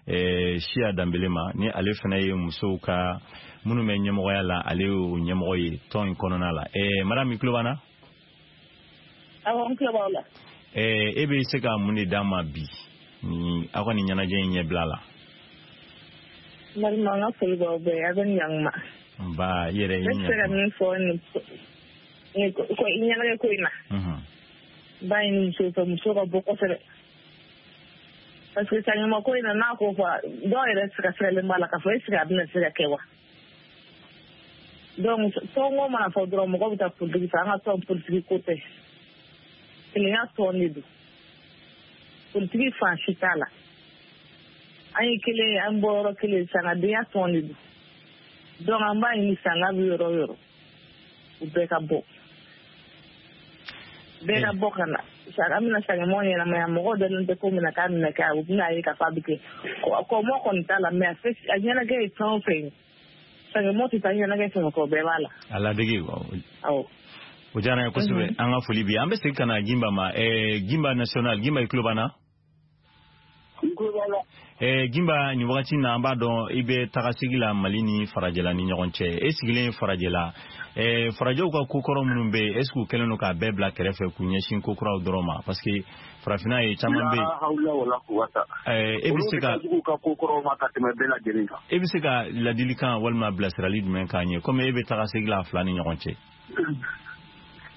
Siya Danbele ma, ni ale fana ye musow ka minnu bɛ ɲɛmɔgɔya la, ale y'o ɲɛmɔgɔ ye tɔn in kɔnɔna la. Madame, i tulo b'an na? Awɔ, n tulo b'aw la. E bɛ se ka mun de d'an ma bi ni aw ka nin ɲɛnajɛ in ɲɛbila la? N balima, n ka foli b'aw bɛɛ, a bɛ ni ɲankuma. Nba, i yɛrɛ. Ne bɛ se ka min fɔ nin ko ɲɛnajɛ ko in na, n b'a ɲini musow fɛ, musow ka bɔ kosɛbɛ, parce que saɲuman ko in na, n'a ko fɔ, dɔw yɛrɛ siga-sigalen b'a la k'a fɔ est ce que a bɛna se ka kɛ wa. Donc tɔnko mana fɔ dɔrɔn, mɔgɔ bɛ taa politiki fɛ. An ka tɔn, politiki ko tɛ, kelenya tɔn de don, politiki fan si t'a la. An ye kelen ye, an bɔyɔrɔ kelen, sangadenya tɔn de don. Donc an b'a ɲini sanga bɛ yɔrɔ o yɔrɔ, u bɛɛ ka bɔ. Bɛɛ ka bɔ ka na. An bɛna sangemɔ ɲɛnamaya, mɔgɔw dalen tɛ ko min na k'a bɛna kɛ, u bɛna ye k'a fɔ a bɛ kɛ. Kɔmɔ kɔni t'a la, mais a ɲɛnajɛ ye fɛn o fɛn ye, sangemɔ tɛ taa ɲɛnajɛ fɛn o fɛn kɔ, o bɛɛ b'a la. A ladege. Awɔ. O diyara n ye kosɛbɛ. An ka foli bi. An bɛ segin ka na Gimba ma. Gimba national, Gimba i tulo b'an na? Gimba, nin wagati na an b'a dɔn i bɛ tagasegi la Mali ni farajɛla ni ɲɔgɔn cɛ. E sigilen farajɛla, farajɛw ka kokɔrɔ minnu bɛ yen, est ce que u kɛlen don k'a bɛɛ bila kɛrɛfɛ k'u ɲɛsin kokuraw dɔrɔn ma? Parce que farafinna ye caman bɛ yen. E bɛ se ka ka kokɔrɔw ma ka tɛmɛ bɛɛ lajɛlen kan. E bɛ se ka ladilikan walima bilasirali jumɛn k'an ye, komi e bɛ tagasegi la fila ni ɲɔgɔn cɛ?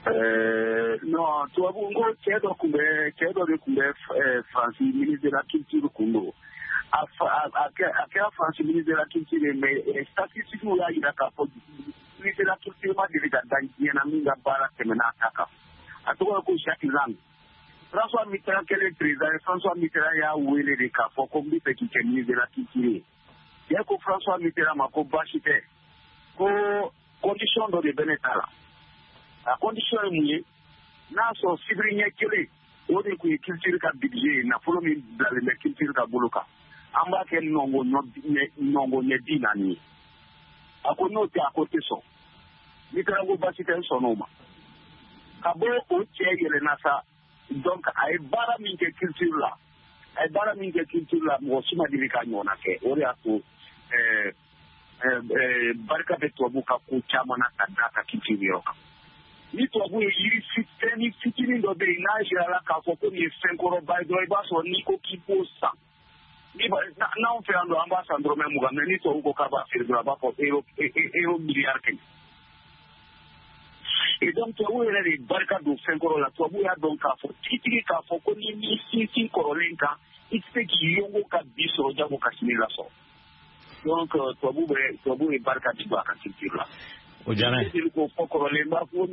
Non, tubabu n ko cɛ dɔ de tun bɛ Faransi ministre de la culture kun don. A kɛra Faransi ministre de la culture ye, mais statistiques y'a jira k'a fɔ ministre de la culture ma deli ka da diɲɛ na min ka baara tɛmɛna a ta kan. A tɔgɔ ye ko Jacques Lang. François Mitterrand kɛlen président ye, François Mitterrand y'a wele de k'a fɔ ko n bɛ fɛ k'i kɛ ministre de la culture ye. Cɛ ko François Mitterrand ma ko baasi tɛ, ko condition dɔ de bɛ ne ta la. A condition ye mun ye? N'a sɔrɔ sibiri ɲɛ kelen o de tun ye culture ka budget ye, nafolo min bilalen bɛ culture ka bolo kan, an b'a kɛ nɔngɔn ɲɛ 40 ye. A ko n'o tɛ, a ko tɛ sɔn. Mitterrand ko baasi tɛ, n sɔnn'o ma. Ka bɔ o cɛ yɛlɛnna sa, donc a ye baara min kɛ culture la, mɔgɔ si ma deli k'a ɲɔgɔnna kɛ. O de y'a to barika bɛ tubabu ka ko caman na ka d'a ka culture yɔrɔ kan. Ni tubabu ye yiri fɛn fitinin dɔ bɛ yen, n'a jirala k'a fɔ ko nin ye fɛn kɔrɔba ye dɔrɔn, i b'a sɔrɔ n'i ko k'i b'o san, n'anw fɛ yan dɔrɔn an b'a san dɔrɔmɛ 20, mais ni tubabu ko k'a b'a feere dɔrɔn, a b'a fɔ euro miliyari 100. Et donc tubabu yɛrɛ de barika don fɛn kɔrɔ la. Tubabu y'a dɔn k'a fɔ tigitigi k'a fɔ ko ni m'i sinsin kɔrɔlen kan, i tɛ se k'i yongo ka bi sɔrɔ jago ka sini lasɔrɔ. Donc tubabu ye barika di don a ka culture la. O diyara n ye. Ko fɔ kɔrɔlen b'a fɔ n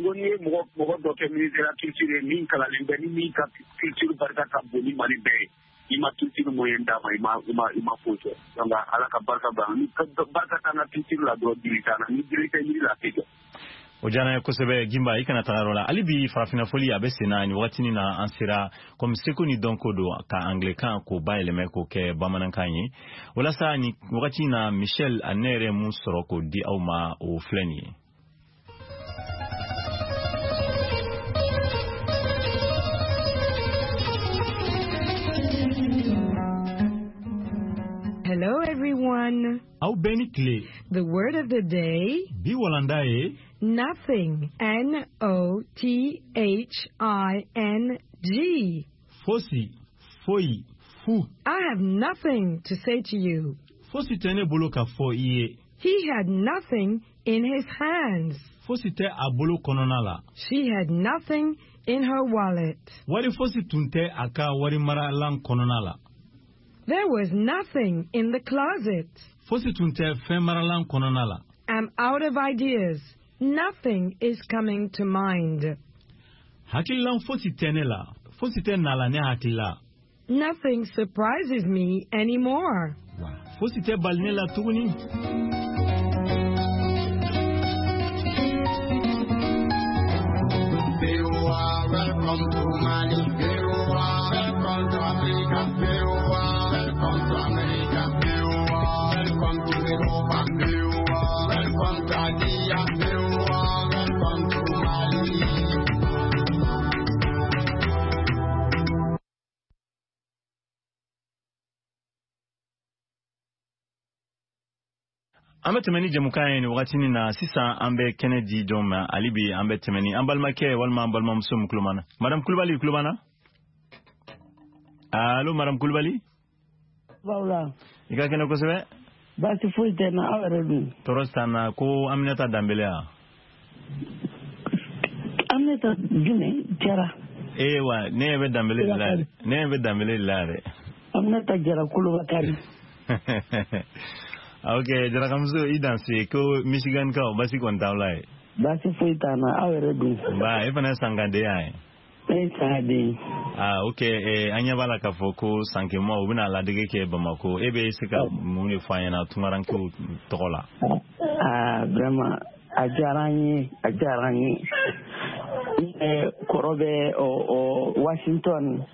ko n'i ye mɔgɔ dɔ kɛ ministre de la culture ye min kalanlen bɛ ni min ka culture barika ka bon ni Mali bɛɛ ye, i ma culture moyen d'a ma, i ma foyi kɛ. Donc Ala ka barika ban, ni barika t'an ka culture la dɔrɔn, dili t'an na, ni dili tɛ yiri la a tɛ jɔ. O diyara n ye kosɛbɛ Gimba, i kana taga yɔrɔ la. Hali bi farafinna foli a bɛ sen na nin wagatinin na, an sera komi seko ni dɔnko don ka anglais-kan k'o bayɛlɛmɛ k'o kɛ bamanankan ye. Walasa nin wagati na Michel a ne yɛrɛ mun sɔrɔ k'o di aw ma, o filɛ nin ye. Hello everyone. Aw bɛɛ ni tile. The word of the day. Bi walanda ye. Nothing. N-O-T-H-I-N-G. Fosi, foyi, fu. I have nothing to say to you. Fosi tɛ ne bolo ka fɔ i ye. He had nothing in his hands. Fosi tɛ a bolo kɔnɔna la. She had nothing in her wallet. Wari fosi tun tɛ a ka warimaralan kɔnɔna la. There was nothing in the closet. Fosi tun tɛ fɛn maralan kɔnɔna la. I'm out of ideas. Nothing is coming to mind. Hakililan fosi tɛ ne la. Fosi tɛ na la ne hakili la. Nothing surprises me anymore. Fosi tɛ bali ne la tuguni. Welcome to Mali. Welcome to Africa. Welcome to America. Welcome to Europa. Welcome to Asia. Welcome to Mali. An bɛ tɛmɛ ni jɛmukan ye nin wagatinin na. Sisan an bɛ kɛnɛ di jɔn ma? Hali bi an bɛ tɛmɛ ni an balimakɛ walima an balimamuso min tulo b'an na. Madame Kulubali, tulo b'an na? Allo, Madame Kulubali? Bawla. I ka kɛnɛ kosɛbɛ? Baasi foyi tɛ n na, aw yɛrɛ dun? Tɔɔrɔ t'an na. Ko Aminata Danbele wa? Aminata jumɛn? Jara. Ee wa, ne ɲɛ bɛ Danbele de la yɛrɛ. Ne ɲɛ bɛ Danbele de la yɛrɛ. Aminata Jara Kolobakari. Ok, Jarakamuso i danse. Ko Michigan kaw basi kɔni t'aw la ye? Baasi foyi t'an na, aw yɛrɛ dun? Ba, e fana ye sankandenya ye? Ne ye Sangaden ye. Ah, ok, an ɲɛ b'a la k'a fɔ ko Sankema u bɛna ladege kɛ Bamako. E bɛ se ka mun de fɔ an ɲɛna tunkarankew tɔgɔ la? Ah, vraiment, a diyara an ye, a diyara an ye. Ne kɔrɔ bɛ Washington,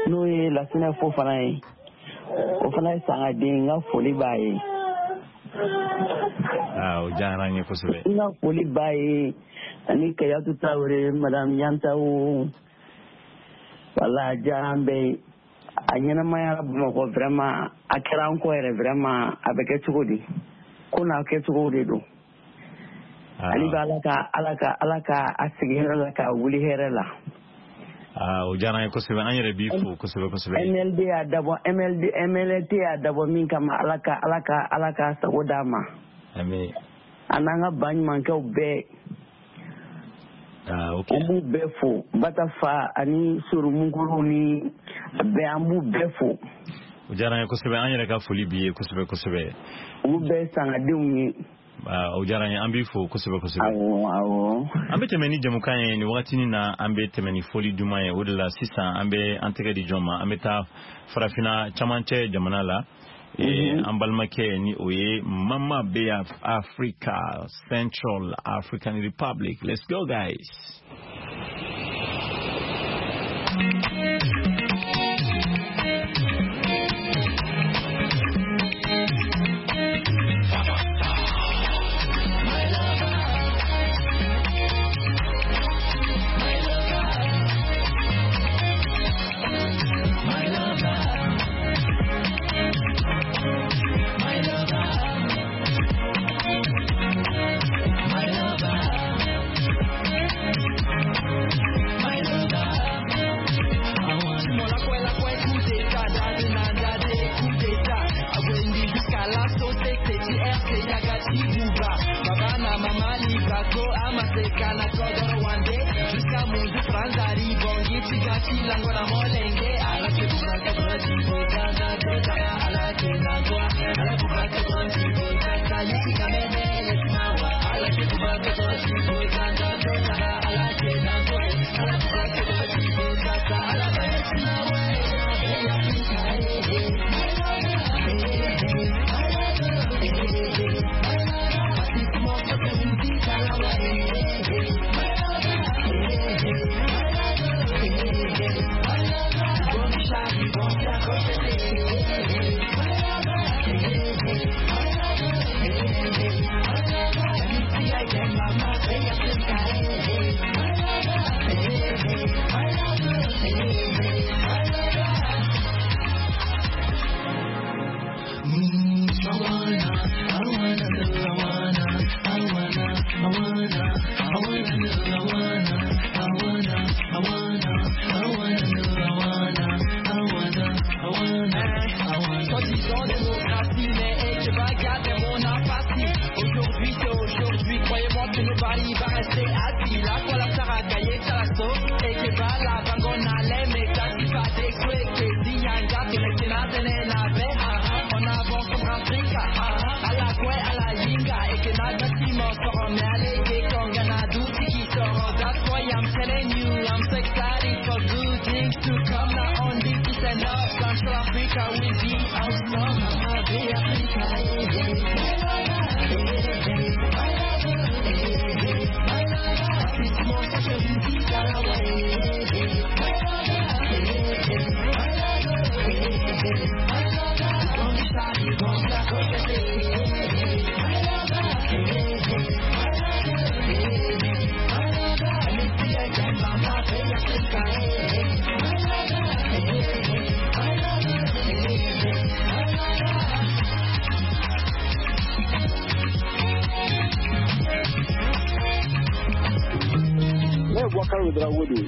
n'o ye Lasinɛ Fofana ye. O fana ye Sangaden, n ka foli b'a ye. Ah, o diyara an ye kosɛbɛ. N ka foli b'a ye ani Kayatu Tarawele, Madame Yantawo. Wala a diyara an bɛɛ ye. A ɲɛnamayara Bamakɔ vraiment, a kɛra an kɔ yɛrɛ vraiment, a bɛ kɛ cogo di? Ko n'a kɛcogo de don. Ale bɛ Ala ka a sigi hɛrɛ la k'a wuli hɛrɛ la. Ah, o diyara an ye kosɛbɛ, an yɛrɛ b'i fo kosɛbɛ kosɛbɛ. MLD y'a dabɔ, MLD MLT y'a dabɔ min kama, Ala ka sago d'a ma. Ami. A n'an ka baɲumankɛw bɛɛ. Ah, ok. An b'u bɛɛ fo, Batafa ani Soromukuru ni bɛɛ, an b'u bɛɛ fo. O diyara an ye kosɛbɛ, an yɛrɛ ka foli b'i ye kosɛbɛ kosɛbɛ. Olu bɛɛ Sangadenw ye. O diyara an ye, an b'i fo kosɛbɛ kosɛbɛ. Awɔ, awɔ. An bɛ tɛmɛ ni jɛmukan ye nin wagatinin na, an bɛ tɛmɛ ni foli duman ye. O de la sisan an bɛ an tɛgɛ di jɔn ma, an bɛ taa farafinna camancɛ jamana la. An balimakɛ ni o ye Mama Beya Africa, Central African Republic. Let's go guys.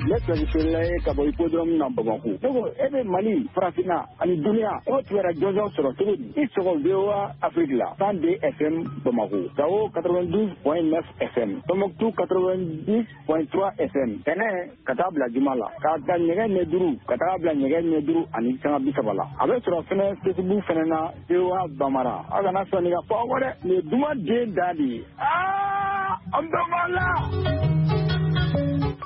Ne filɛ feerela ye ka bɔ hippodrome na Bamakɔ. Ne ko e bɛ Mali, Farafinna ani duniya, e kibaruya jɔnjɔn sɔrɔ cogo di? I sɔgɔ VOA Afrique la 102 FM Bamakɔ, Gawo 92.9 FM, Tombouctou 90.3 FM. Tɛnɛ ka taa bila juma la, k'a ta nɛgɛ ɲɛ 5 ka taa bila nɛgɛ ɲɛ 5:30 la. A bɛ sɔrɔ fɛnɛ Facebook fɛnɛ na VOA Bambara. Aw kana sɔn nin ka fɔ aw kɔ dɛ, nin ye duman den da de ye. Aa, an bɛɛ b'a la.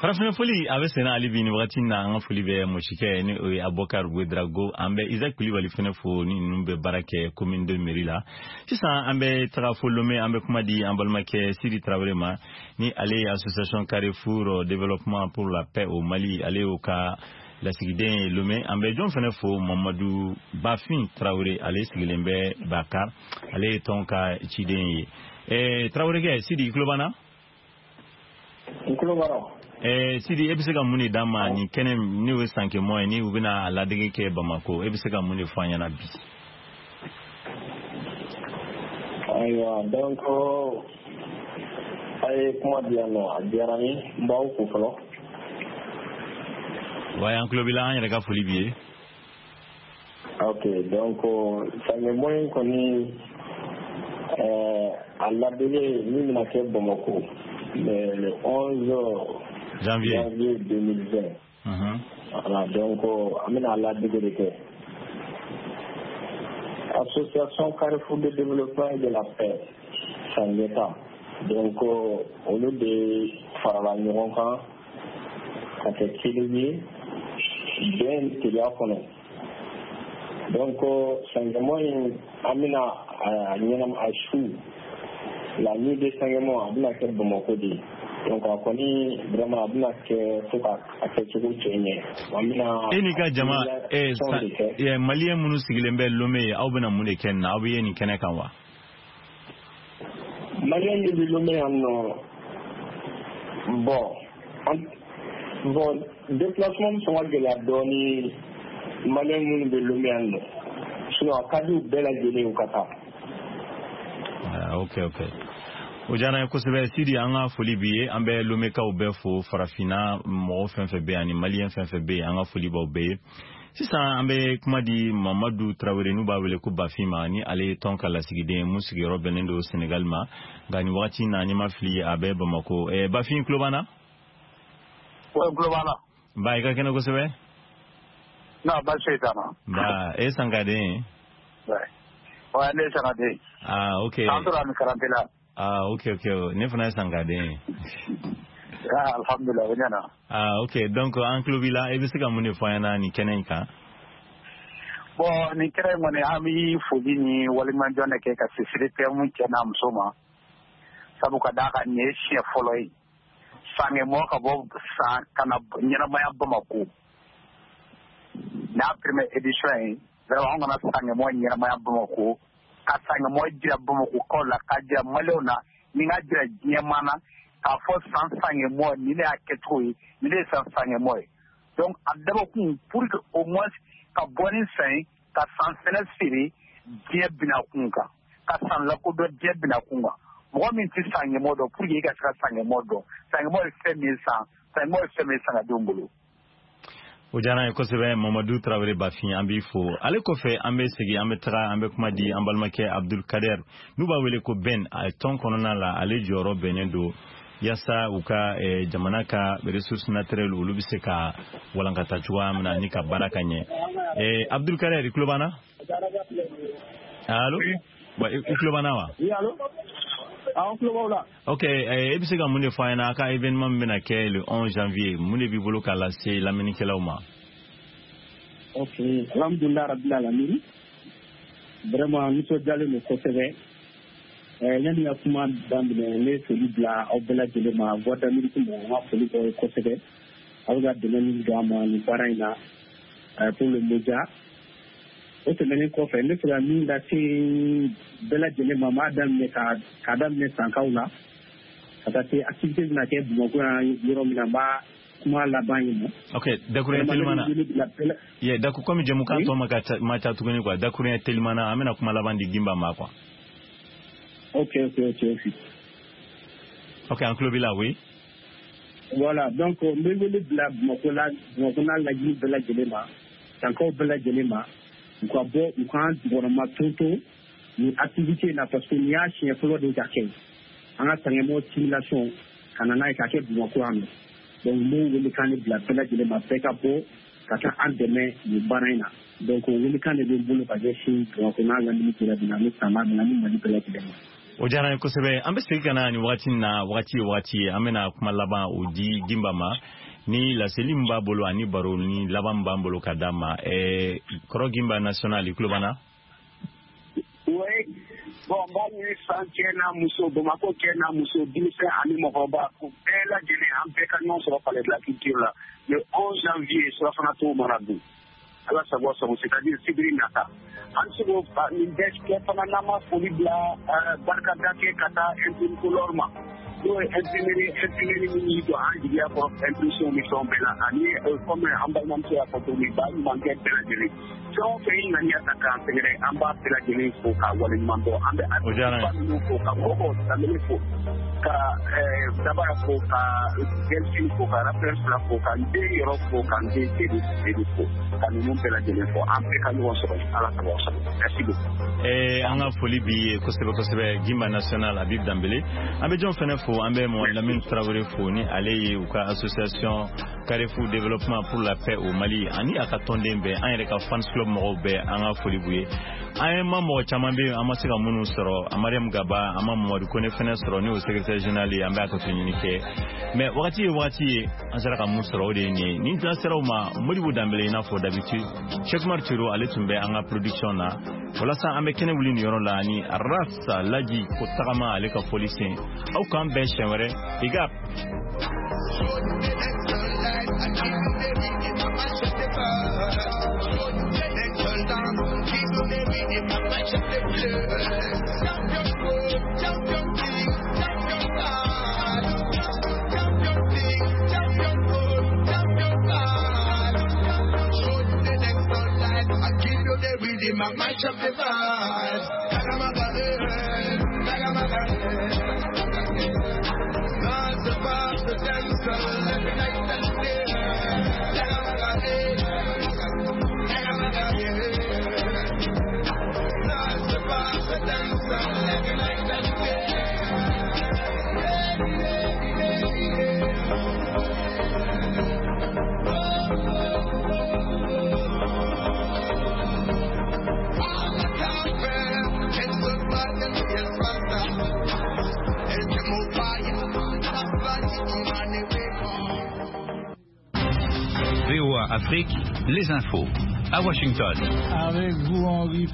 Farafina foli a bɛ senna hali bi nin wagati na. An ka foli bɛ Mɔsikɛ, ni o ye Abubakar Ouedraogo. An bɛ Isaac Kulibali fɛnɛ fo, ni ninnu bɛ baara kɛ commune de mairie la. Sisan an bɛ taga fo Lomé, an bɛ kuma di an balimakɛ Sidi Tarawele ma, ni ale ye association Carrefour développement pour la paix au Mali, ale y'o ka lasigiden ye Lomé. An bɛ jɔn fɛnɛ fo? Mamadu Bafin Tarawele, ale sigilen bɛ Bakar, ale ye tɔn ka ciden ye. Tarawelekɛ Sidi, i tulo b'an na? N tulo b'a la. Sidi, e bɛ se ka mun de d'an ma nin kɛnɛ, n'o ye Sankemɔ ye, ni u bɛna a ladege kɛ Bamako? E bɛ se ka mun de fɔ an ɲɛna bi? Ayiwa, donc a ye kuma di yan nɔ, a diyara n ye, n b'aw fo fɔlɔ. Wa an tulo b'i la, an yɛrɛ ka foli b'i ye. Ok, donc Sankemɔ in kɔni, a ladege min bɛna kɛ Bamako le 11 janvier, janvier 2020. Voilà, donc an bɛna a ladege de kɛ. Association Carrefour de développement et de la paix Sanjeta, donc olu de farala ɲɔgɔn kan ka kɛ kelen ye bɛn teliya kɔnɔ. Donc Sankemɔ in, an bɛna a ɲɛnam a su, la nuit de Sankemɔ, a bɛna kɛ Bamako de. Donc a kɔni vraiment a bɛna kɛ fo ka a kɛcogo cɛ ɲɛ. An bɛna E n'i ka jama, maliyɛn minnu sigilen bɛ Lomé, aw bɛna mun de kɛ nin na? Aw bɛ ye nin kɛnɛ kan wa? Maliyɛn min bɛ Lomé yan nɔ, bon, déplacement bɛ sɔn ka gɛlɛya dɔɔni maliyɛn minnu bɛ Lomé yan nɔ, sinon a ka di u bɛɛ lajɛlen u ka taa. Ah, ok, o diyara n ye kosɛbɛ Sidi, an ka foli b'i ye. An bɛ Lomekaw bɛɛ fo, farafinna mɔgɔ fɛn fɛn bɛ yen ani maliyɛn fɛn fɛn bɛ yen, an ka foli b'aw bɛɛ ye. Sisan an bɛ kuma di Mamadu Tarawele, n'u b'a wele ko Bafin ma, ni ale ye tɔn ka lasigiden ye mun sigiyɔrɔ bɛnnen don Senegal ma, nka nin wagati na, n'i ma fili, a bɛ Bamako. Bafin, tulo b'an na? Ouais, tulo b'an na. Ba, i ka kɛnɛ kosɛbɛ. Non, baasi foyi t'an na. Ba, e ye sankaden ye? Ouais, ne ye sankaden ye. Ah, ok. An tora ni karante la. Ah, ok, ne fana ye sankaden ye. Ah, alhamdulilah, o ɲɛna. Ah, ok, donc an tulo b'i la, i bɛ se ka mun de fɔ an ɲɛna nin kɛnɛ in kan? Bon, nin kɛnɛ in kɔni, an bɛ foli ni waleɲumandɔn de kɛ ka se CDPM cɛ n'a muso ma, sabu ka d'a kan nin ye siɲɛ fɔlɔ ye sankɛmɔ ka bɔ san ka na ɲɛnamaya Bamako. N'a première édition ye, vraiment an kana sankɛmɔ ɲɛnamaya Bamako, ka sankɛmɔ jira Bamakɔkaw la, k'a jira maliyɛnw na, ni k'a jira diɲɛmaa na k'a fɔ san sankɛmɔ nin de y'a kɛcogo ye, nin de ye san sankɛmɔ ye. Donc a dabɔkun pour que au moins ka bɔ ni san ye, ka san fɛnɛ feere diɲɛ bina kun kan, ka san lakodɔn diɲɛ bina kun kan. Mɔgɔ min tɛ sankɛmɔ dɔn, pour que i ka se ka sankɛmɔ dɔn, sankɛmɔ ye fɛn min ye, san sankɛmɔ ye fɛn min ye sangadenw bolo. O diyara an ye kosɛbɛ, Mamadu Tarawele Bafin, an b'i fo. Ale kɔfɛ, an bɛ segin, an bɛ taga, an bɛ kuma di an balimakɛ Abdul Kader, n'u b'a wele ko Ben. A tɔn kɔnɔna la, ale jɔyɔrɔ bɛnnen don yaasa u ka jamana ka ressources naturelles, olu bɛ se ka walankata cogoya min na ni ka baara ka ɲɛ. Abdul Kader, i tulo b'an na? Allo, i tulo b'an na wa? Oui, allo, awɔ, tulo b'aw la. Ok, e bɛ se ka mun de fɔ an ɲɛna a ka événement min bɛna kɛ le 11 janvier? Mun de b'i bolo k'a lase lamɛnnikɛlaw ma? Ok, alhamdulilah rabbil alamin, vraiment nisɔndiyalen don kosɛbɛ. Yanni ka kuma daminɛ, ne ye foli bila aw bɛɛ lajɛlen ma. Voix d'Amérique mɔgɔw, n ka foli b'aw ye kosɛbɛ, aw bɛ ka dɛmɛ min don an ma nin baara in na pour le média. O tɛmɛnen kɔfɛ, n bɛ fɛ ka min lase bɛɛ lajɛlen ma, n b'a daminɛ k'a daminɛ sankaw la ka taa se activité bɛna kɛ Bamakɔ yan yɔrɔ min na, n b'a kuma laban yen nɔ. Ok, dakuruɲɛ teliman na. Ye daku komi jɛmukan tɔ ma ca tuguni quoi, dakuruɲɛ teliman na, an bɛna kuma laban di Gimba ma quoi. Ok. Ok, an tulo b'i la, oui. Voilà, donc n bɛ wele bila Bamakɔ la, Bamakɔ n'a laɲini bɛɛ lajɛlen ma, sankaw bɛɛ lajɛlen ma, u ka bɔ, u k'an jukɔrɔma tonton nin activité in na, parce que nin y'a siɲɛ fɔlɔ de ka kɛ an ka sankɛmɔ simulation ka na n'a ye k'a kɛ Bamakɔ yan nɔ. Donc n b'o welekan de bila bɛɛ lajɛlen ma, bɛɛ ka bɔ ka taa an dɛmɛ nin baara in na. Donc o welekan de bɛ n bolo ka ɲɛsin Bamakɔ n'a lamini bɛɛ lajɛlen ani san n'a ni Mali bɛɛ lajɛlen ma. O diyara n ye kosɛbɛ. An bɛ segin ka na nin wagati in na, wagati ye wagati ye, an bɛna kuma laban o di Gimba ma ni laseli min b'a bolo ani baro ni laban min b'an bolo ka d'a ma. Kɔrɔ Gimba National, i tulo b'an na? Oui. Bon, n b'a ɲini san cɛ n'a muso, Bamakɔ cɛ n'a muso, denmisɛn ani mɔgɔkɔrɔba, ko bɛɛ lajɛlen, an bɛɛ ka ɲɔgɔn sɔrɔ Palais de la Culture la le 11 janvier, surafana to mana dun. Ala sago sago, c'est-à-dire sibiri nata. An se k'o nin bɛɛ kɛ fana n'an ma foli bila, barikada kɛ ka taa imprimateur ma, n'o ye imprimerie min y'i jɔ an jigiya kɔrɔ impression ni fɛnw bɛɛ la, ani comme an balimamuso y'a fɔ cogo min, ba ɲumankɛ bɛɛ lajɛlen, fɛn o fɛn y'i ŋaniya ta k'an sɛgɛrɛ, an b'a bɛɛ lajɛlen fo k'a waleɲuman dɔn. An bɛ ba ninnu fo, ka mɔgɔw Danbele fo, ka Dabara fo, ka Delphine fo, ka Raphaël fila fo, ka n den yɔrɔ fo, ka n den Seydou fo, ka ninnu bɛɛ lajɛlen fo. An bɛɛ ka ɲɔgɔn sɔrɔ, Ala sago sago. Merci beaucoup. An ka foli b'i ye kosɛbɛ kosɛbɛ, Gimba National Habib Danbele. An bɛ jɔn fɛnɛ fo? An bɛ Mohamed Lamine Traoré fo, ni ale ye u ka association Carrefour Développement pour la paix au Mali ani a ka tɔnden bɛɛ, an yɛrɛ ka fans club mɔgɔw bɛɛ, an ka foli b'u ye. An ye ma mɔgɔ caman bɛ yen, an ma se ka minnu sɔrɔ, Mariam Gaba, an ma Mamadu Kone fɛnɛ sɔrɔ, ni o secrétaire général ye, an bɛ a ka to ɲini kɛ, mais wagati ye wagati ye, an sera ka mun sɔrɔ, o de ye nin ye. Nin tila sera o ma, Modibo Danbele, i n'a fɔ d'habitude, Cheikh Umar Tiro, ale tun bɛ an ka production na. Walasa an bɛ kɛnɛ wuli nin yɔrɔ la ni Rasa Laji ko tagama, ale ka fɔli sen. Aw k'an bɛn siɲɛ wɛrɛ. I ka VOA Afrique, les infos, à Washington. Avec vous, Henri.